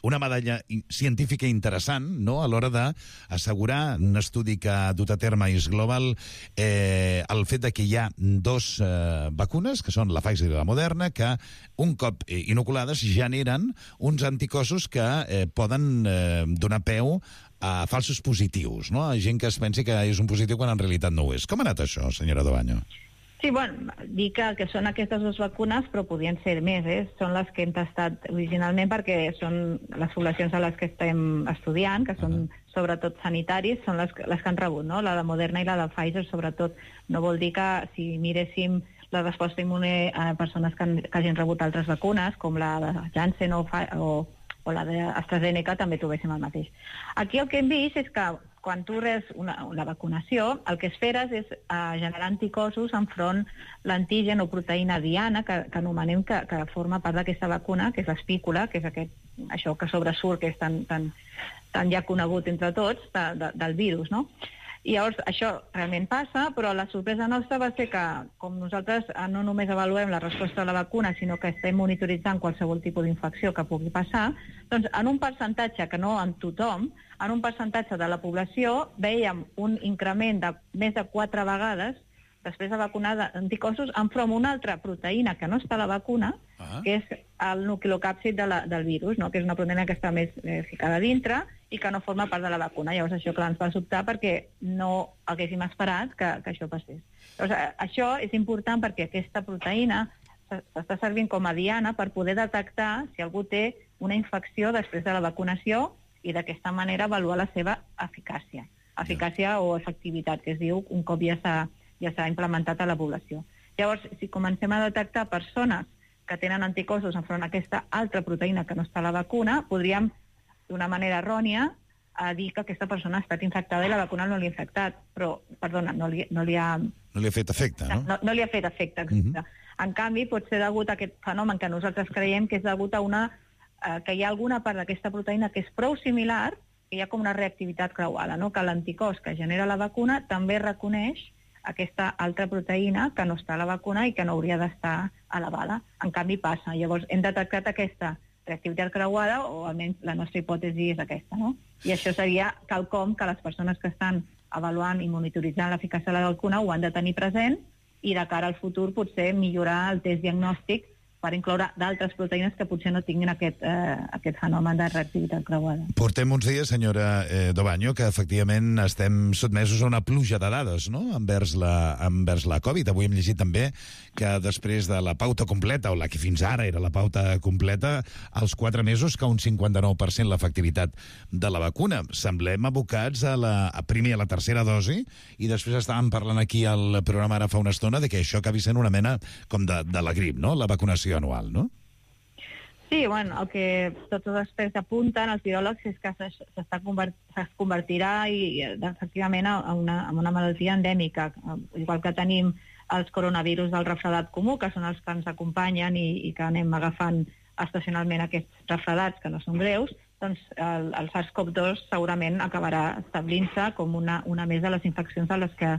una medalla científica interessant, no?, a l'hora d'assegurar un estudi que ha dut a terme IS Global el fet de que hi ha dos vacunes, que són la Pfizer i la Moderna, que un cop inoculades generen uns anticossos que poden donar peu a falsos positius, no?, a gent que es pensi que és un positiu quan en realitat no ho és. Com ha anat això, senyora Dobaño? Sí, bueno, dir que són aquestes dues vacunes, però podien ser més, Són les que hem tastat originalment perquè són les poblacions a les que estem estudiant, que són sobretot sanitaris, són les que han rebut, no?, la de Moderna i la de Pfizer, sobretot. No vol dir que si miréssim la resposta immune a persones que hagin rebut altres vacunes, com la de Janssen o la d'AstraZeneca, també trobéssim el mateix. Aquí el que hem vist és que quan tu reps la vacunació, el que esperes és generar anticossos enfront l'antigen o proteïna diana, que anomenem que forma part d'aquesta vacuna, que és l'espícula, que és això que sobresurt, que és tan ja conegut entre tots, del virus, no? I llavors això realment passa, però la sorpresa nostra va ser que, com nosaltres no només avaluem la resposta a la vacuna, sinó que estem monitoritzant qualsevol tipus d'infecció que pugui passar, doncs en un percentatge, que no en tothom, en un percentatge de la població veiem un increment de més de 4 vegades després de vacunar d'anticossos enfront una altra proteïna que no està a la vacuna, que és el nucleocàpsid del virus, no?, que és una proteïna que està més ficada dintre i que no forma part de la vacuna. Llavors això, clar, ens va sobtar perquè no haguéssim esperat que això passés. Llavors, això és important perquè aquesta proteïna s'està servint com a diana per poder detectar si algú té una infecció després de la vacunació i d'aquesta manera avaluar la seva eficàcia o efectivitat, que es diu un cop ja s'ha implementat a la població. Llavors, si comencem a detectar persones que tenen anticossos enfront a aquesta altra proteïna que no està a la vacuna, podríem, d'una manera errònia, dir que aquesta persona ha estat infectada i la vacuna no li ha infectat, però, perdona, no li ha... No li ha fet efecte, no? No li ha fet efecte, exacte. En canvi, pot ser degut a aquest fenomen que nosaltres creiem que és degut a que hi ha alguna part d'aquesta proteïna que és prou similar, que hi ha com una reactivitat creuada, no?, que l'anticòs que genera la vacuna també reconeix aquesta altra proteïna que no està a la vacuna i que no hauria d'estar elevada. En canvi, passa. Llavors, hem detectat aquesta reactivitat creuada, o almenys la nostra hipòtesi és aquesta, no? I això seria quelcom que les persones que estan avaluant i monitoritzant l'eficàcia de la vacuna ho han de tenir present i de cara al futur potser millorar el test diagnòstic per incloure d'altres proteïnes que potser no tinguin aquest fenomen de reactivitat creuada. Portem uns dies, senyora Dobaño, que efectivament estem sotmesos a una pluja de dades, no?, envers la Covid. Avui hem llegit també que després de la pauta completa, o la que fins ara era la pauta completa, als 4 mesos que un 59% l'efectivitat de la vacuna. Semblem abocats primer a la tercera dosi, i després estàvem parlant aquí al programa ara fa una estona de que això acabi sent una mena com de la grip, no?, la vacunació anual, no? Sí, bueno, el que tots els experts apunten, els viròlegs, és que es convertirà efectivament en una malaltia endèmica, igual que tenim els coronavirus del refredat comú, que són els que ens acompanyen i que anem agafant estacionalment aquests refredats, que no són greus, doncs el SARS-CoV-2 segurament acabarà establint-se com una més de les infeccions de les que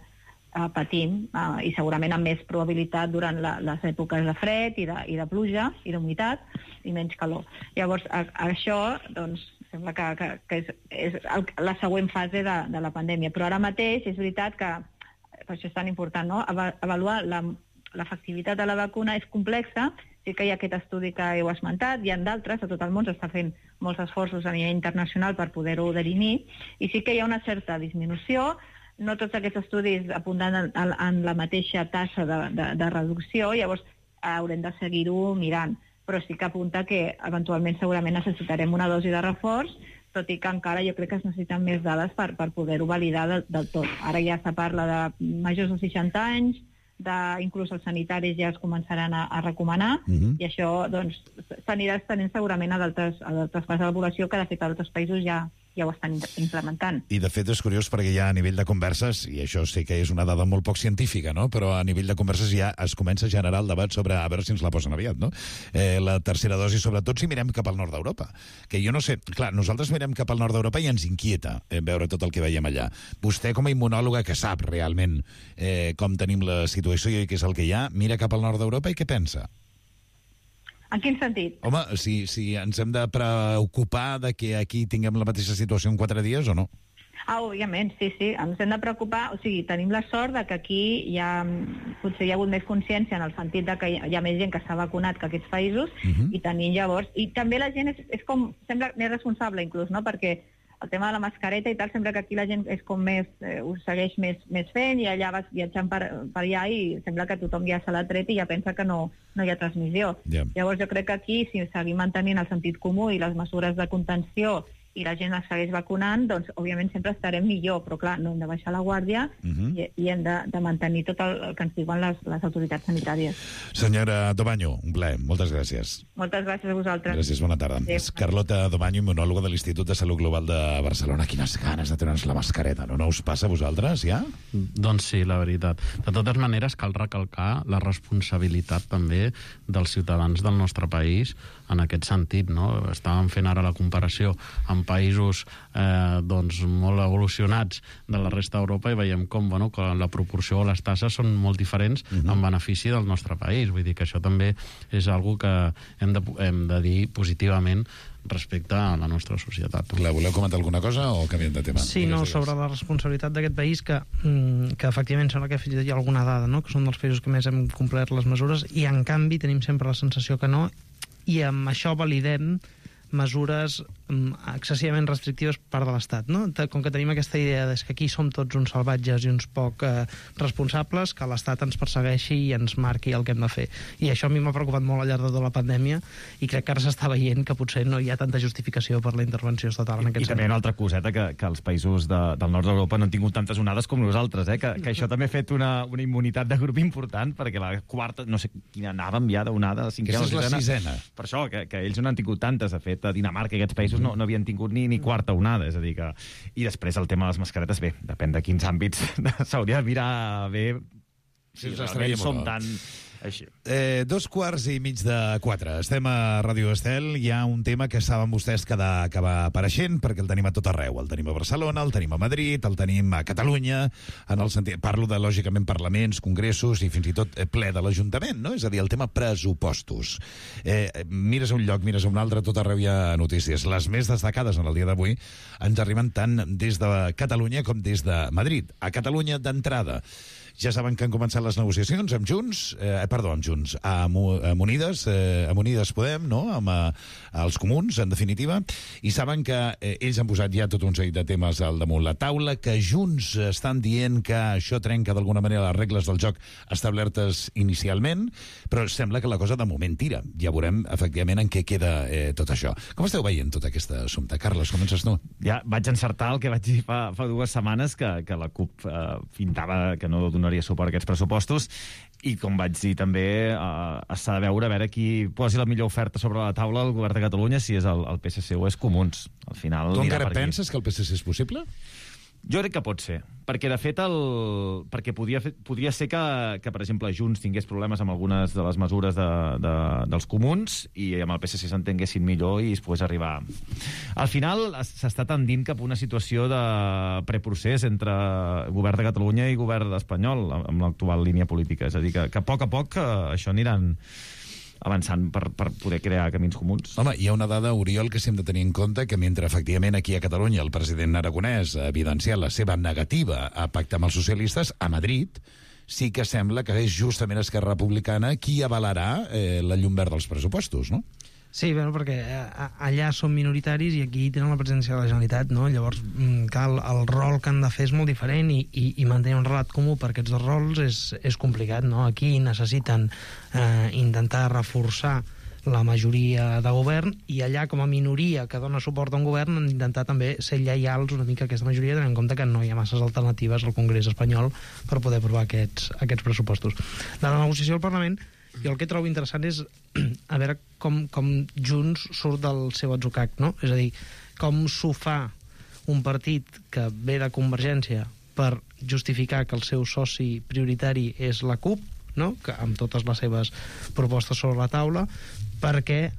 patim, i segurament amb més probabilitat durant les èpoques de fred i de pluja i d'humitat i menys calor. Llavors, això doncs, sembla que és la següent fase de la pandèmia. Però ara mateix és veritat que, per això és tan important, no?, avaluar l'efectivitat de la vacuna és complexa. Sí que hi ha aquest estudi que heu esmentat, hi ha d'altres, a tot el món s'està fent molts esforços a nivell internacional per poder-ho definir, i sí que hi ha una certa disminució. No tots aquests estudis apunten en la mateixa tassa de reducció, llavors haurem de seguir-ho mirant. Però sí que apunta que eventualment segurament necessitarem una dosi de reforç, tot i que encara jo crec que es necessiten més dades per poder-ho validar del tot. Ara ja se parla de majors de 60 anys, inclús els sanitaris ja es començaran a recomanar, i això doncs s'anirà estenent segurament a d'altres parts de la població, que de fet a altres països ja ho estan implementant. I de fet és curiós perquè ja a nivell de converses, i això sé que és una dada molt poc científica, no?, però a nivell de converses ja es comença a generar el debat sobre a veure si ens la posen aviat, no? La tercera dosi, sobretot si mirem cap al nord d'Europa. Que jo no sé, clar, nosaltres mirem cap al nord d'Europa i ens inquieta veure tot el que veiem allà. Vostè, com a immunòloga que sap realment com tenim la situació i què és el que hi ha, mira cap al nord d'Europa i què pensa? En quin sentit? Home, si ens hem de preocupar de que aquí tinguem la mateixa situació en 4 dies o no? Òbviament, sí, ens hem de preocupar. O sigui, tenim la sort de que aquí potser hi ha hagut més consciència en el sentit de que hi ha més gent que s'ha vacunat que aquests països, i tenim llavors... I també la gent és com... sembla més responsable, inclús, no?, perquè el tema de la mascareta i tal, sembla que aquí la gent és com més... ho segueix més fent, i allà vas viatjant per allà i sembla que tothom ja se l'ha tret i ja pensa que no hi ha transmissió. Llavors jo crec que aquí, si seguim mantenint el sentit comú i les mesures de contenció i la gent es segueix vacunant, doncs òbviament sempre estarem millor, però clar, no hem de baixar la guàrdia i hem de mantenir tot el que ens diuen les autoritats sanitàries. Senyora Dobaño, un plaer, moltes gràcies. Moltes gràcies a vosaltres. Gràcies, bona tarda. És Carlota Dobaño, immunòloga de l'Institut de Salut Global de Barcelona. Quines ganes de treure'ns la mascareta, no us passa a vosaltres, ja? Doncs sí, la veritat. De totes maneres, cal recalcar la responsabilitat també dels ciutadans del nostre país en aquest sentit, no? Estàvem fent ara la comparació amb països doncs molt evolucionats de la resta d'Europa i veiem com que la proporció o les tasses són molt diferents en benefici del nostre país. Vull dir que això també és algo que hem de dir positivament respecte a la nostra societat. Clar, voleu comentar alguna cosa o canviem de tema? Sí, no, sobre la responsabilitat d'aquest país, que efectivament sembla que hi ha alguna dada, no?, que són dels països que més hem complert les mesures, i en canvi tenim sempre la sensació que no, i amb això validem mesures excessivament restrictives per part de l'Estat, no? Com que tenim aquesta idea que aquí som tots uns salvatges i uns poc responsables, que l'Estat ens persegueixi i ens marqui el que hem de fer. I això a mi m'ha preocupat molt al llarg de tota la pandèmia, i crec que ara s'està veient que potser no hi ha tanta justificació per la intervenció estatal en aquest sentit. I també una altra coseta, que els països del nord d'Europa no han tingut tantes onades com nosaltres, que això també ha fet una immunitat de grup important, perquè la quarta, no sé quina anàvem ja d'onada, la cinquena. Aquesta és la sisena. Per això, que ells no n'han tingut tantes. De fet, a Dinamarca i aquests països no havien tingut ni quarta onada, és a dir que... I després el tema de les mascaretes, bé, depèn de quins àmbits s'hauria de mirar bé si realment som tan... Així. 3:45. Estem a Ràdio Estel. Hi ha un tema que saben vostès que va apareixent, perquè el tenim a tot arreu. El tenim a Barcelona, el tenim a Madrid, el tenim a Catalunya, en el sentit... Parlo de, lògicament, parlaments, congressos i fins i tot ple de l'Ajuntament, no? És a dir, el tema pressupostos. Mires a un lloc, mires a un altre, tot arreu hi ha notícies. Les més destacades en el dia d'avui ens arriben tant des de Catalunya com des de Madrid. A Catalunya, d'entrada, Ja saben que han començat les negociacions amb Junts, amb Junts, amb Unides Podem, no? Amb els comuns, en definitiva, i saben que ells han posat ja tot un seguit de temes al damunt la taula, que Junts estan dient que això trenca d'alguna manera les regles del joc establertes inicialment, però sembla que la cosa de moment tira. Ja veurem, efectivament, en què queda tot això. Com esteu veient tot aquest assumpte? Carles, comences tu. Ja vaig encertar el que vaig dir fa 2 setmanes, que la CUP pintava que no donaria suport a aquests pressupostos, i com vaig dir també, s'ha de veure a veure qui posi la millor oferta sobre la taula al govern de Catalunya, si és el PSC o és Comuns. Al final, tu encara penses que el PSC és possible? Jo crec que pot ser, perquè de fet perquè podria ser que, per exemple, Junts tingués problemes amb algunes de les mesures dels comuns i amb el PSC s'entenguessin millor i es pogués arribar. Al final s'està tendint cap a una situació de preprocés entre govern de Catalunya i govern espanyol amb l'actual línia política. És a dir, que a poc això aniran avançant per poder crear camins comuns. Home, hi ha una dada, Oriol, que s'hem de tenir en compte, que mentre efectivament aquí a Catalunya el president aragonès ha evidenciat la seva negativa a pactar amb els socialistes, a Madrid sí que sembla que és justament Esquerra Republicana qui avalarà la llum verda dels pressupostos, no? Sí, bueno, perquè allà són minoritaris i aquí tenen la presència de la Generalitat, no? Llavors, el rol que han de fer és molt diferent i mantenir un relat comú per aquests dos rols és complicat, no? Aquí necessiten intentar reforçar la majoria de govern i allà, com a minoria que dona suport a un govern, han d'intentar també ser lleials una mica a aquesta majoria, tenint en compte que no hi ha masses alternatives al Congrés espanyol per poder aprovar aquests pressupostos. De la negociació al Parlament, jo el que trobo interessant és a veure com Junts surt del seu atzucac, no? És a dir, com s'ho fa un partit que ve de Convergència per justificar que el seu soci prioritari és la CUP, no? Que amb totes les seves propostes sobre la taula, perquè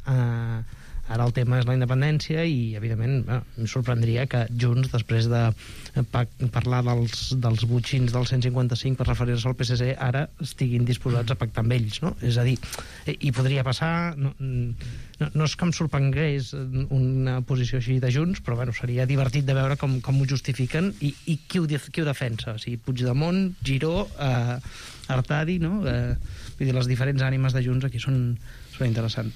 ara el tema és la independència i, evidentment, em sorprendria que Junts, després de parlar dels botxins del 155 per referir-se al PSC, ara estiguin disposats a pactar amb ells, no? És a dir, i podria passar... No és que em sorprengués una posició així de Junts, però bueno, seria divertit de veure com ho justifiquen i qui ho defensa. O sigui, Puigdemont, Giró, Artadi, no? Vull dir, les diferents ànimes de Junts aquí són interessants.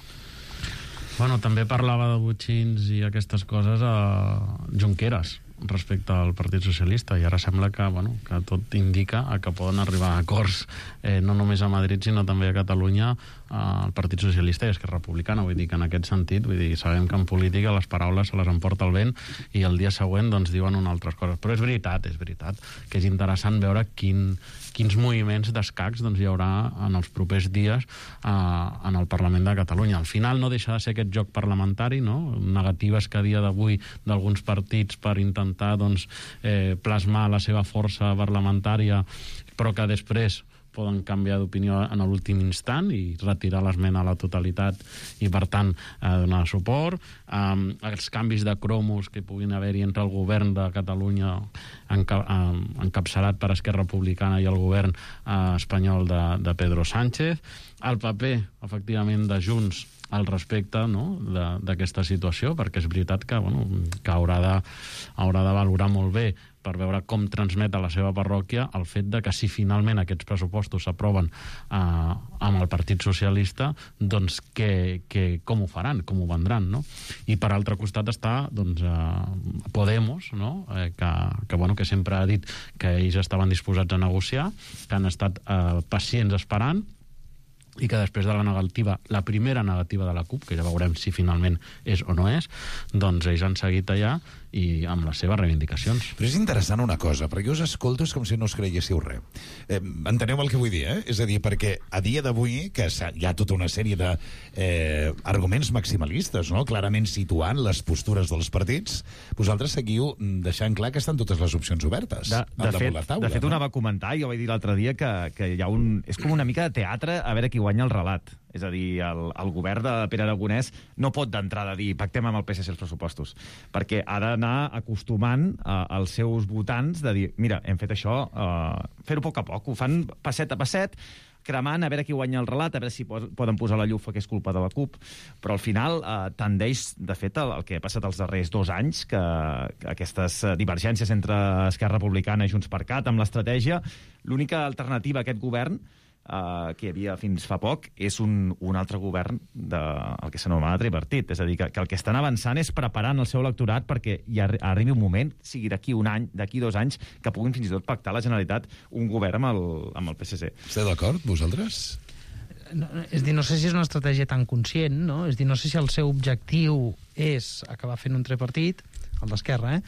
Bueno, també parlava de botxins i aquestes coses a Junqueras respecte al Partit Socialista, i ara sembla que tot indica que poden arribar a acords no només a Madrid sinó també a Catalunya el Partit Socialista i Esquerra Republicana. Vull dir que en aquest sentit, sabem que en política les paraules se les emporta el vent i el dia següent diuen unes altres coses, però és veritat que és interessant veure quins moviments d'escacs hi haurà en els propers dies en el Parlament de Catalunya. Al final no deixa de ser aquest joc parlamentari, no? Negatives que a dia d'avui d'alguns partits per intentar plasmar la seva força parlamentària, però que després poden canviar d'opinió en l'últim instant i retirar l'esmena a la totalitat i, per tant, donar suport. Els canvis de cromos que puguin haver-hi entre el govern de Catalunya encapçalat per Esquerra Republicana i el govern espanyol de Pedro Sánchez. El paper, efectivament, de Junts al respecte d'aquesta situació, perquè és veritat que haurà de valorar molt bé per veure com transmet a la seva parròquia el fet de que si finalment aquests pressupostos s'aproven amb el Partit Socialista, doncs com ho faran, com ho vendran, no? I per altre costat està Podemos, no? Que sempre ha dit que ells estaven disposats a negociar, que han estat pacients esperant, i que després de la primera negativa de la CUP, que ja veurem si finalment és o no és, doncs ells han seguit allà i amb les seves reivindicacions. Però és interessant una cosa, perquè us escolto és com si no us creguéssiu res. Enteneu el que vull dir, És a dir, perquè a dia d'avui, que hi ha tota una sèrie d'arguments maximalistes, no? Clarament situant les postures dels partits, vosaltres seguiu deixant clar que estan totes les opcions obertes. De fet, una va comentar, jo vaig dir l'altre dia, que hi ha és com una mica de teatre a veure qui guanya el relat. És a dir, el govern de Pere Aragonès no pot d'entrada dir pactem amb el PSC els pressupostos, perquè ha d'anar acostumant als seus votants de dir, mira, hem fet això, fer-ho a poc a poc, ho fan passet a passet, cremant, a veure qui guanya el relat, a veure si poden posar la llufa que és culpa de la CUP, però al final tendeix, de fet, el que ha passat els darrers 2 anys, que aquestes divergències entre Esquerra Republicana i Junts per Cat amb l'estratègia, l'única alternativa a aquest govern que hi havia fins fa poc, és un altre govern el que s'anomena tripartit. És a dir, que el que estan avançant és preparant el seu electorat perquè hi arribi un moment, sigui d'aquí un any, d'aquí 2 anys, que puguin fins i tot pactar la Generalitat un govern amb el PSC. Esteu d'acord, vosaltres? És dir, no sé si és una estratègia tan conscient, no? És dir, no sé si el seu objectiu és acabar fent un tripartit, el d'Esquerra,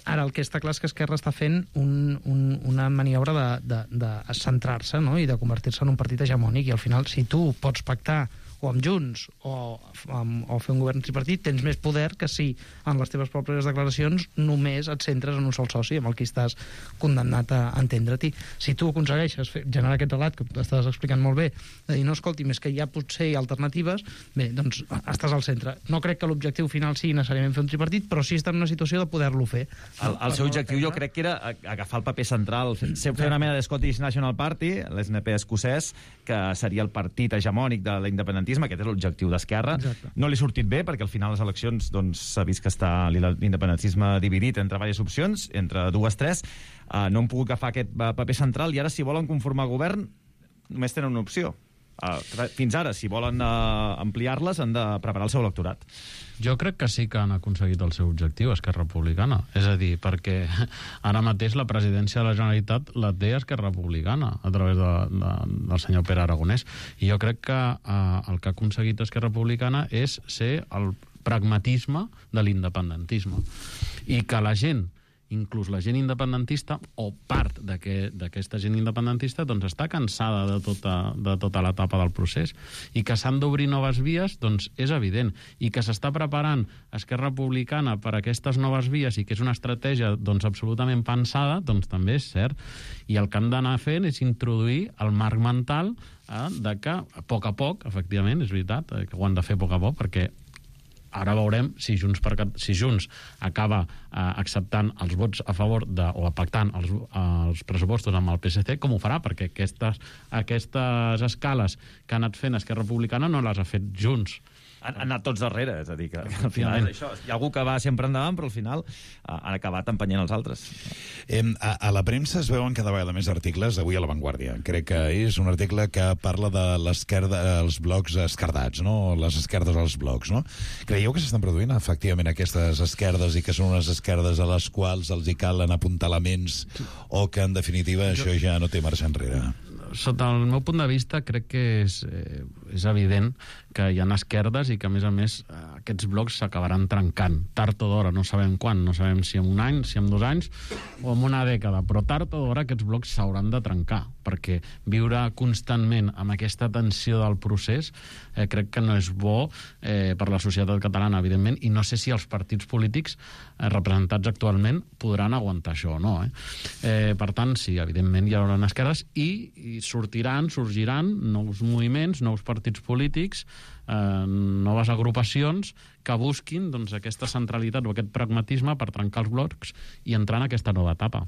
Ara, el que està clar és que Esquerra està fent una maniobra de centrar-se, no? I de convertir-se en un partit hegemònic, i al final, si tu pots pactar o amb Junts o fer un govern tripartit, tens més poder que si en les teves pròpies declaracions només et centres en un sol soci amb el qui estàs condemnat a entendre-t'hi. Si tu aconsegueixes generar aquest relat que estàs explicant molt bé, de dir, no, escolti, més que hi ha potser alternatives, bé, doncs estàs al centre. No crec que l'objectiu final sigui necessàriament fer un tripartit, però sí estar en una situació de poder-lo fer. El seu objectiu jo crec que era agafar el paper central, fer una mena de Scottish National Party, l'SNP escocès, que seria el partit hegemònic de l'independentisme. Aquest és l'objectiu d'Esquerra. No li ha sortit bé, perquè al final les eleccions s'ha vist que està l'independentisme dividit entre diverses opcions, entre 2, 3. No han pogut agafar aquest paper central, i ara, si volen conformar govern, només tenen una opció. Fins ara, si volen ampliar-les, han de preparar el seu electorat. Jo crec que sí que han aconseguit el seu objectiu, Esquerra Republicana. És a dir, perquè ara mateix la presidència de la Generalitat la té Esquerra Republicana a través del senyor Pere Aragonès. I jo crec que el que ha aconseguit Esquerra Republicana és ser el pragmatisme de l'independentisme. I que la gent, inclús la gent independentista, o part d'aquesta gent independentista, doncs està cansada de tota l'etapa del procés. I que s'han d'obrir noves vies, doncs és evident. I que s'està preparant Esquerra Republicana per a aquestes noves vies i que és una estratègia doncs absolutament pensada, doncs també és cert. I el que han d'anar fent és introduir el marc mental de que, a poc, efectivament, és veritat, que ho han de fer a poc, perquè ara veurem si Junts acaba acceptant els vots a favor o pactant els pressupostos amb el PSC, com ho farà, perquè aquestes escales que ha anat fent Esquerra Republicana no les ha fet Junts. Han anat tots darrere, és a dir, que al final és això. Hi ha algú que va sempre endavant, però al final han acabat empenyent els altres. A la premsa es veuen cada vegada més articles, avui a La Vanguardia. Crec que és un article que parla de l'esquerda, els blocs esquerdats, no? Les esquerdes als blocs, no? Creieu que s'estan produint efectivament aquestes esquerdes i que són unes esquerdes a les quals els hi calen apuntalaments o que, en definitiva, això ja no té marxa enrere? Sota el meu punt de vista, crec que és evident que hi ha esquerdes i que, a més, aquests blocs s'acabaran trencant. Tard o d'hora, no sabem quan, no sabem si en un any, si en 2 anys o en una dècada, però tard o d'hora aquests blocs s'hauran de trencar, perquè viure constantment amb aquesta tensió del procés crec que no és bo per la societat catalana, evidentment, i no sé si els partits polítics representats actualment podran aguantar això o no. Per tant, sí, evidentment hi haurà esquerdes i sorgiran nous moviments, nous partits polítics, noves agrupacions que busquin aquesta centralitat o aquest pragmatisme per trencar els blocs i entrar en aquesta nova etapa.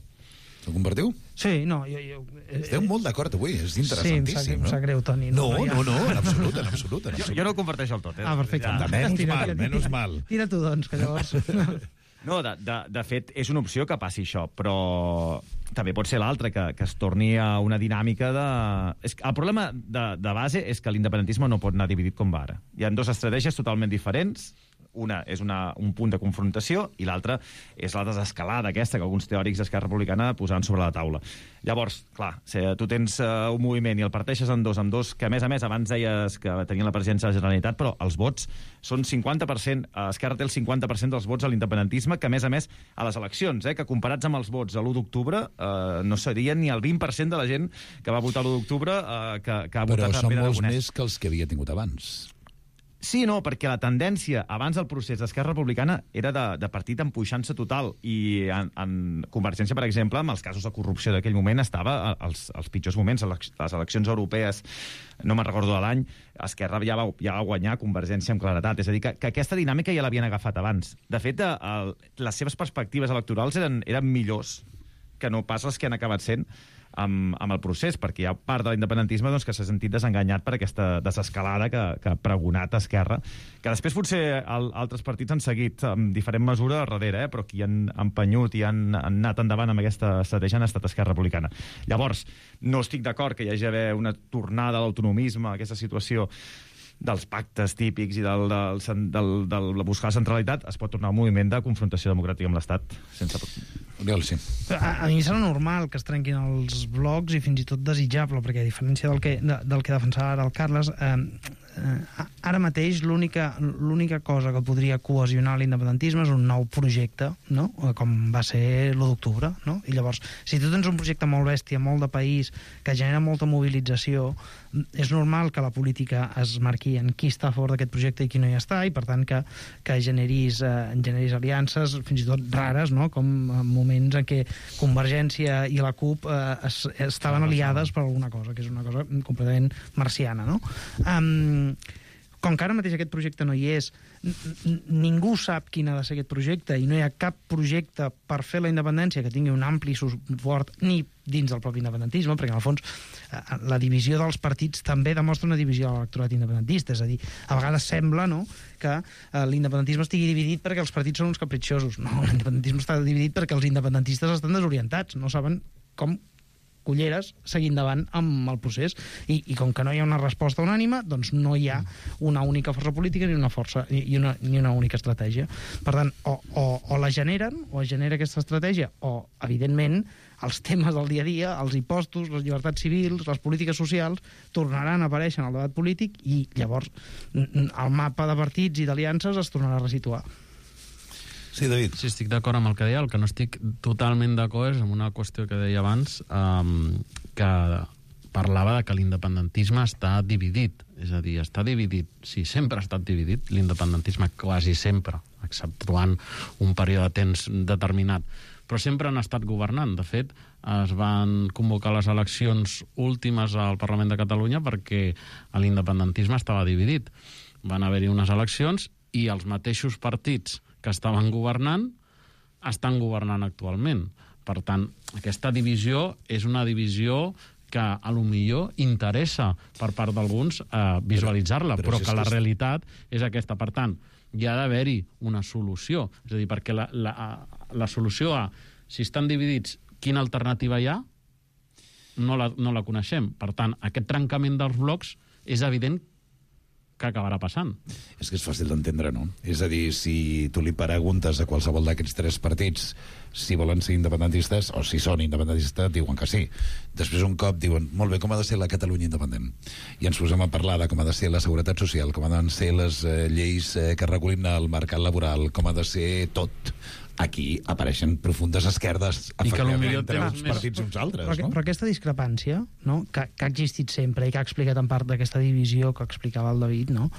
Ho compartiu? Sí, no. Esteu molt d'acord avui, és interessantíssim. Sí, em sap greu, Toni. No, en absolut. Jo no ho comparteixo el tot. Perfecte. Menys mal. Tira tu, doncs, que llavors... No, de fet, és una opció que passi això, però també pot ser l'altra, que es torni a una dinàmica de... El problema de base és que l'independentisme no pot anar dividit com va ara. Hi ha 2 estratègies totalment diferents. Una és un punt de confrontació i l'altra és la desescalada aquesta que alguns teòrics d'Esquerra Republicana posaran sobre la taula. Llavors, clar, si tu tens un moviment i el parteixes en dos, que a més, abans deies que tenien la presidència de la Generalitat, però els vots són 50%, Esquerra té el 50% dels vots a l'independentisme, que a més, a les eleccions, que comparats amb els vots a l'1 d'octubre, no serien ni el 20% de la gent que va votar l'1 d'octubre que ha votat Però a són Pere molts Aragonès. més que els que havia tingut abans. Sí, no, perquè la tendència abans del procés d'Esquerra Republicana era de partit empuixant-se total i en Convergència, per exemple, amb els casos de corrupció d'aquell moment estava als pitjors moments. Les eleccions europees, no me'n recordo de l'any, Esquerra ja va guanyar Convergència amb claredat. És a dir, que aquesta dinàmica ja l'havien agafat abans. De fet, les seves perspectives electorals eren millors que no pas les que han acabat sent amb el procés, perquè hi ha part de l'independentisme doncs, que s'ha sentit desenganyat per aquesta desescalada que ha pregonat Esquerra, que després potser altres partits han seguit amb diferent mesura darrere, però qui han empenyut i han anat endavant amb aquesta estratègia han estat Esquerra Republicana. Llavors, no estic d'acord que hi hagi d'haver una tornada a l'autonomisme, a aquesta situació dels pactes típics i del buscar la centralitat. Es pot tornar a un moviment de confrontació democràtica amb l'Estat sense... Sí. A mi serà normal que es trenquin els blocs i fins i tot desitjable, perquè a diferència del que defensava ara el Carles, ara mateix l'única cosa que podria cohesionar l'independentisme és un nou projecte, no? Com va ser l'1 d'octubre, no? I llavors, si tu tens un projecte molt bèstia, molt de país, que genera molta mobilització, és normal que la política es marqui en qui està a favor d'aquest projecte i qui no hi està, i per tant que generis aliances fins i tot rares, no? Com en moments en què Convergència i la CUP estaven aliades per alguna cosa, que és una cosa completament marciana, no? Com que ara mateix aquest projecte no hi és, ningú sap quin ha de ser aquest projecte i no hi ha cap projecte per fer la independència que tingui un ampli suport ni dins del propi independentisme, perquè en el fons la divisió dels partits també demostra una divisió de l'electorat independentista, és a dir, a vegades sembla, no?, que l'independentisme estigui dividit perquè els partits són uns capritxosos. No, l'independentisme està dividit perquè els independentistes estan desorientats, no saben com culleres seguir endavant amb el procés i com que no hi ha una resposta unànime, doncs no hi ha una única força política ni una única estratègia. Per tant, o la generen, o es genera aquesta estratègia, o, evidentment, els temes del dia a dia, els impostos, les llibertats civils, les polítiques socials, tornaran a aparèixer en el debat polític i llavors el mapa de partits i d'aliances es tornarà a resituar. Sí, David. Sí, estic d'acord amb el que deia. El que no estic totalment d'acord és amb una qüestió que deia abans, que parlava de que l'independentisme està dividit. És a dir, està dividit. Sí, sempre ha estat dividit, l'independentisme quasi sempre, exceptuant un període de temps determinat. Però sempre han estat governant. De fet, es van convocar les eleccions últimes al Parlament de Catalunya perquè l'independentisme estava dividit. Van haver-hi unes eleccions i els mateixos partits que estaven governant, estan governant actualment. Per tant, aquesta divisió és una divisió que a lo millor interessa per part d'alguns visualitzar-la, però que la realitat és aquesta. Per tant, hi ha d'haver-hi una solució. És a dir, perquè la solució a si estan dividits, quina alternativa hi ha, no la coneixem. Per tant, aquest trencament dels blocs és evident que acabarà passant. És que és fàcil d'entendre, no? És a dir, si tu li preguntes a qualsevol d'aquests tres partits si volen ser independentistes o si són independentistes, diuen que sí. Després un cop diuen, molt bé, com ha de ser la Catalunya independent? I ens posem a parlar de com ha de ser la seguretat social, com ha de ser les lleis que regulin el mercat laboral, com ha de ser tot. Aquí apareixen profundes esquerdes entre uns partits i uns altres, no? Però aquesta discrepància, no?, que ha existit sempre i que ha explicat en part d'aquesta divisió que explicava el David, no?,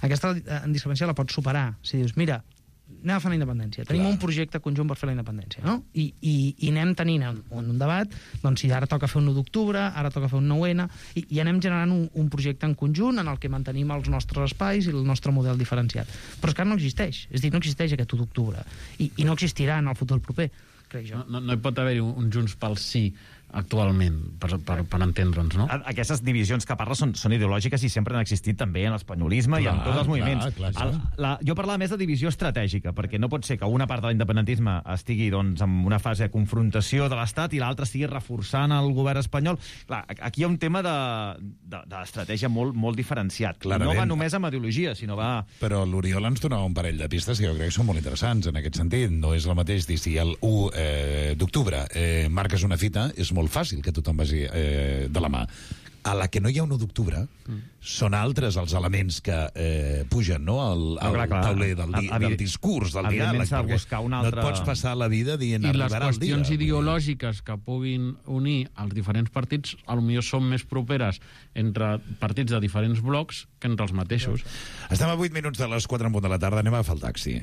aquesta discrepància la pots superar. Si dius, mira, anem a fer la independència. Tenim un projecte conjunt per fer la independència, no? I anem tenint un debat, doncs si ara toca fer un 1 d'octubre, ara toca fer un 9-N, i anem generant un projecte en conjunt en el que mantenim els nostres espais i el nostre model diferenciat. Però és que ara no existeix. És a dir, no existeix aquest 1 d'octubre. I no existirà en el futur proper, crec jo. No hi pot haver un Junts pel Sí actualment, per entendre'ns, no? Aquestes divisions que parles són ideològiques i sempre han existit també en l'espanyolisme i en tots els moviments. Jo parlava més de divisió estratègica, perquè no pot ser que una part de l'independentisme estigui doncs, en una fase de confrontació de l'Estat i l'altra estigui reforçant el govern espanyol. Clar, aquí hi ha un tema d'estratègia molt diferenciat. Clarament. No va només amb ideologia, sinó va... Però l'Oriol ens donava un parell de pistes que jo crec que són molt interessants en aquest sentit. No és el mateix dir si el 1 d'octubre marques una fita, és molt fàcil que tothom vagi de la mà. A la que no hi ha 1 d'octubre, són altres els elements que pugen, no?, al tauler del discurs, del diàleg, perquè no et pots passar la vida dient arribarà el dia. I les qüestions ideològiques que puguin unir els diferents partits, potser són més properes entre partits de diferents blocs que entre els mateixos. Estem a 8 minuts de les 4 en punt de la tarda, anem a agafar el taxi.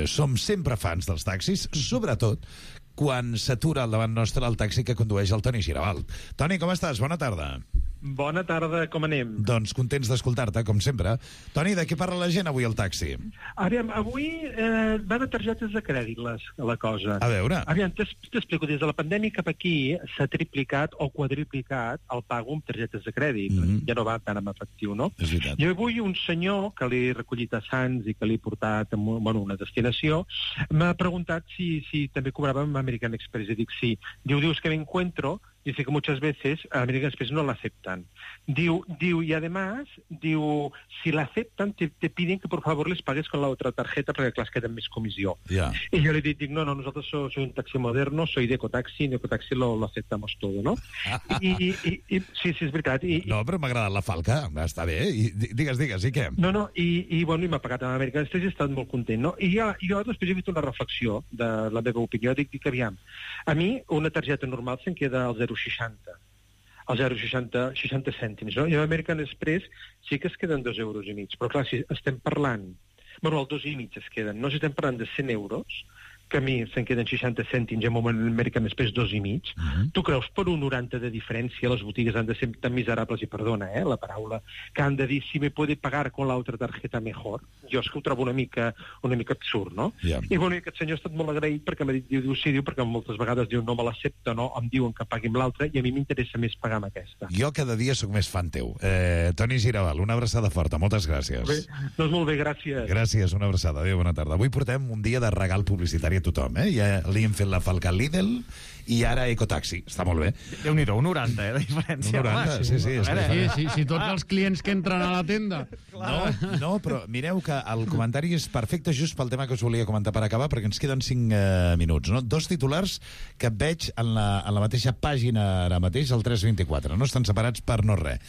Som sempre fans dels taxis, sobretot quan s'atura al davant nostre el taxi que condueix el Toni Giravalt. Toni, com estàs? Bona tarda. Bona tarda, com anem? Doncs contents d'escoltar-te, com sempre. Toni, de què parla la gent avui al taxi? Aviam, avui va de targetes de crèdit la cosa. A veure. Aviam, t'explico, des de la pandèmia cap aquí s'ha triplicat o quadriplicat el pago amb targetes de crèdit. Ja no va tant amb efectiu, no? És veritat. I avui un senyor que l'he recollit a Sants i que l'he portat a una destinació m'ha preguntat si també cobrava amb American Express. I dic sí. Dius que me encuentro. Dice que muchas veces a American Express no la aceptan. Y además, si la aceptan, te piden que por favor les pagues con la otra tarjeta perquè, clar, es queda més comissió. Yeah. Y yo le dic, no, nosotros soy un taxi moderno, soy de Ecotaxi, en Ecotaxi lo aceptamos todo, ¿no? I sí, és veritat. No, però m'ha agradat la falca, està bé. Digues, i què? No, i m'ha pagat amb American Express i he estat molt content, no? I jo després he fet una reflexió de la meva opinió, dic aviam, a mi una targeta normal se'n queda al 0,60. Al 0,60 cèntims, no? I a American Express sí que es queden 2,5 euros. Però clar, si estem parlant... Bueno, el 2,5 es queden. No, si estem parlant de 100 euros, que a mi se'n queden 60 cèntims i en American Express 2,5. Tu creus per un 90 de diferència les botigues han de ser tan miserables, i perdona, la paraula, que han de dir si me puede pagar con la otra tarjeta mejor? Jo és que ho trobo una mica absurd, no? Yeah. I bueno, aquest senyor ha estat molt agraït perquè m'ha dit, diu, perquè moltes vegades diu no me l'accepta, no, em diuen que pagui amb l'altra i a mi m'interessa més pagar amb aquesta. Jo cada dia sóc més fan teu. Toni Giravalt, una abraçada forta, moltes gràcies. Bé, doncs molt bé, gràcies. Gràcies, una abraçada, adéu, bona tarda. Avui portem un dia de regal publicitari a tothom, Ja li hem fet la falca al Lidl i ara Ecotaxi. Està molt bé. Déu-n'hi-do, un 90, de diferència. Un 90, sí. Si tots els clients que entren a la tenda... No, però mireu que el comentari és perfecte just pel tema que us volia comentar per acabar, perquè ens queden 5 minuts, no? 2 titulars que veig en la mateixa pàgina ara mateix, al 324. No estan separats per no res.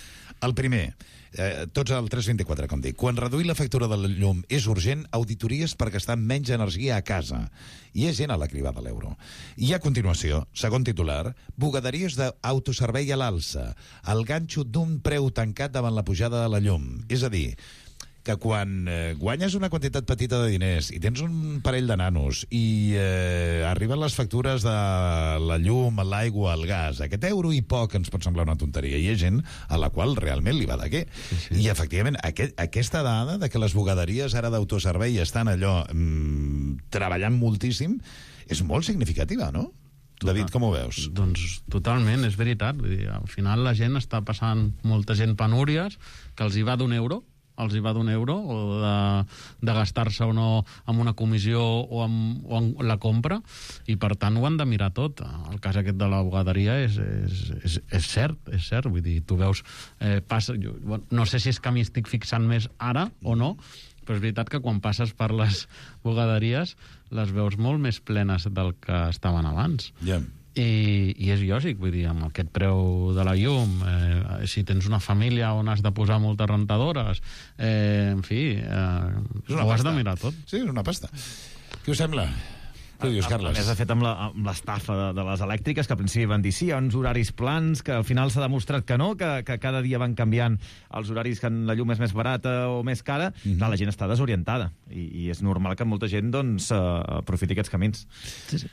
El primer, tots al 324, com dic. Quan reduir la factura de la llum és urgent, auditories per gastar menys energia a casa. Hi ha gent a la cribada de l'euro. I a continuació, segon titular, bugaderies d'autoservei a l'alça. El ganxo d'un preu tancat davant la pujada de la llum. És a dir, que quan guanyes una quantitat petita de diners i tens un parell de nanos i arriben les factures de la llum, l'aigua, el gas, aquest euro i poc ens pot semblar una tonteria. Hi ha gent a la qual realment li va de què. I efectivament, aquesta dada de que les bugaderies ara d'autoservei estan allò treballant moltíssim és molt significativa, no? David, com ho veus? Doncs totalment, és veritat. Vull dir, al final la gent està passant molta gent penúries que els hi va d'un euro o de gastar-se o no amb una comissió o amb la compra, i per tant ho han de mirar tot. El cas aquest de la bugaderia és cert, vull dir, tu veus no sé si és que m'hi estic fixant més ara o no, però és veritat que quan passes per les bugaderies les veus molt més plenes del que estaven abans. I és lògic, vull dir, amb aquest preu de la llum, si tens una família on has de posar moltes rentadores, en fi, ho has de mirar tot. Sí, és una pasta. Què us sembla? Què dius, Carles? A més, de fet, amb l'estafa de les elèctriques, que al principi van dir sí, hi ha uns horaris plans, que al final s'ha demostrat que no, que cada dia van canviant els horaris, que la llum és més barata o més cara. Clar, la gent està desorientada i és normal que molta gent aprofiti aquests camins. Sí.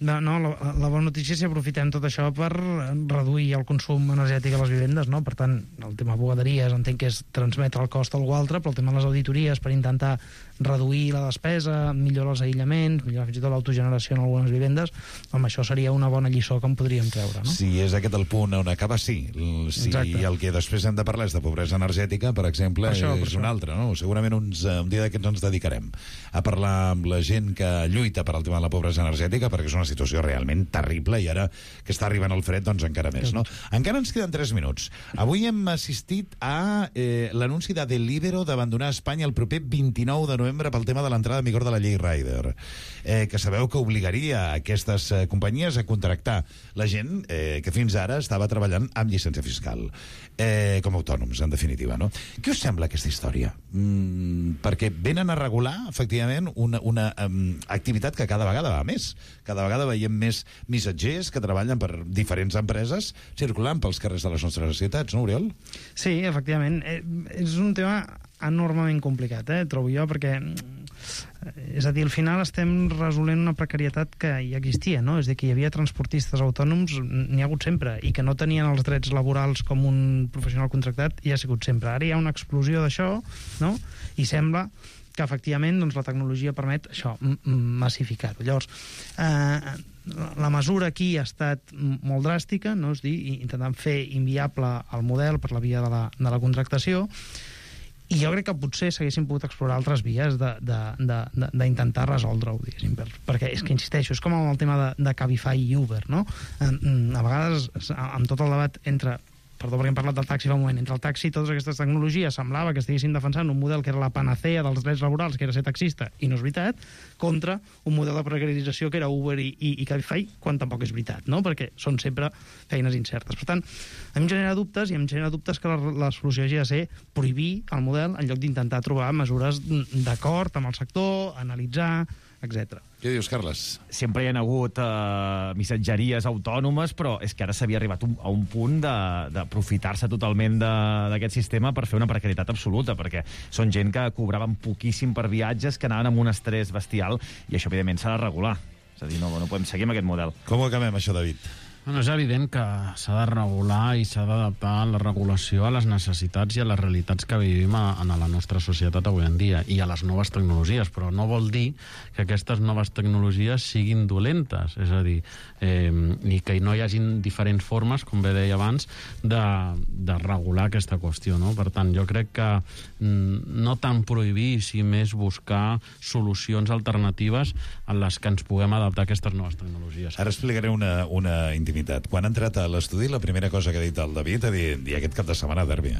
La bona notícia és que aprofitem tot això per reduir el consum energètic a les vivendes, no? Per tant, el tema bugaderies entenc que és transmetre el cost a algú altre, però el tema de les auditories per intentar reduir la despesa, millorar els aïllaments, millorar fins i tot l'autogeneració en algunes vivendes, home, això seria una bona lliçó que en podríem treure, no? Si és aquest el punt on acaba, sí. Si el que després hem de parlar és de pobresa energètica, per exemple, és un altre, no? Segurament un dia d'aquests ens dedicarem a parlar amb la gent que lluita per al tema de la pobresa energètica, perquè perquè és una situació realment terrible i ara que està arribant el fred, doncs encara més, no? Encara ens queden 3 minuts. Avui hem assistit a l'anunci de Deliveroo d'abandonar Espanya el proper 29 de novembre pel tema de l'entrada en vigor de la llei Rider, que sabeu que obligaria aquestes companyies a contractar la gent que fins ara estava treballant amb llicència fiscal, com a autònoms, en definitiva, no? Què us sembla aquesta història? Perquè venen a regular, efectivament, una activitat que cada vegada va més. Cada vegada veiem més missatgers que treballen per diferents empreses circulant pels carrers de les nostres ciutats, no, Oriol? Sí, efectivament. És un tema enormement complicat, trobo jo, perquè és a dir, al final estem resolent una precarietat que ja existia, no? És a dir, que hi havia transportistes autònoms, n'hi ha hagut sempre, i que no tenien els drets laborals com un professional contractat, hi ha sigut sempre. Ara hi ha una explosió d'això, no? I sembla que efectivament doncs, la tecnologia permet això, massificar-ho. Llavors, la mesura aquí ha estat molt dràstica, no? És a dir, intentant fer inviable el model per la via de la contractació, i jo crec que potser s'haguessin pogut explorar altres vies d'intentar resoldre-ho, diguéssim, perquè és que, insisteixo, és com amb el tema de Cabify i Uber, no? A vegades, amb tot el debat entre... Perdó, perquè hem parlat del taxi fa un moment. Entre el taxi i totes aquestes tecnologies semblava que estiguessin defensant un model que era la panacea dels drets laborals, que era ser taxista, i no és veritat, contra un model de precarització que era Uber i Cabify, quan tampoc és veritat, no? Perquè són sempre feines incertes. Per tant, a mi em genera dubtes, i em genera dubtes que la solució hagi de ser prohibir el model en lloc d'intentar trobar mesures d'acord amb el sector, analitzar, etc. Què dius, Carles? Sempre hi ha hagut missatgeries autònomes, però és que ara s'havia arribat a un punt d'aprofitar-se totalment d'aquest sistema per fer una precarietat absoluta, perquè són gent que cobraven poquíssim per viatges, que anaven amb un estrès bestial, i això, evidentment, s'ha de regular. És a dir, no podem seguir amb aquest model. Com ho acabem, això, David? Bueno, és evident que s'ha de regular i s'ha d'adaptar la regulació a les necessitats i a les realitats que vivim en la nostra societat avui en dia i a les noves tecnologies, però no vol dir que aquestes noves tecnologies siguin dolentes, és a dir, i que no hi hagin diferents formes, com bé deia abans, de regular aquesta qüestió, no? Per tant, jo crec que no tant prohibir, si més buscar solucions alternatives en les que ens puguem adaptar a aquestes noves tecnologies. Ara explicaré una intimitat. Quan ha entrat a l'estudi, la primera cosa que ha dit el David ha dit, i aquest cap de setmana derbi,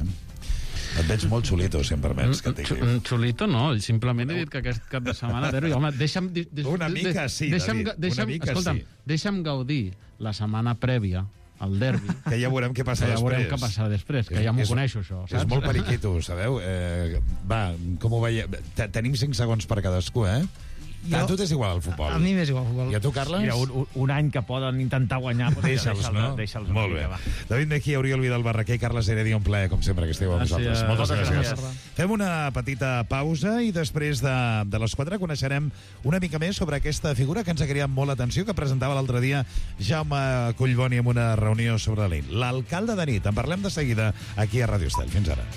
Et veig molt xulito, si em permets que et digui. Xulito no, simplement he dit que aquest cap de setmana derbi. Home, deixa'm... Una mica sí, David, una mica sí. Deixa'm gaudir la setmana prèvia al derbi. Que ja veurem què passa després. Ja veurem què passa després, que ja m'ho coneixo, això. És molt periquito, sabeu? Va, com ho veieu? Tenim 5 segons per cadascú, A tu t'és igual el futbol. A mi m'és igual el futbol. I a tu, Carles? Un any que poden intentar guanyar, deixa'ls, no? Molt bé. David Mejía, Oriol Vidal Barraquer, Carles Heredia, un plaer, com sempre, que esteu amb nosaltres. Moltes gràcies. Fem una petita pausa i després de les 4 coneixerem una mica més sobre aquesta figura que ens ha cridat molt l'atenció, que presentava l'altre dia Jaume Collboni en una reunió sobre l'alcalde de nit. En parlem de seguida aquí a Ràdio Estel. Fins ara.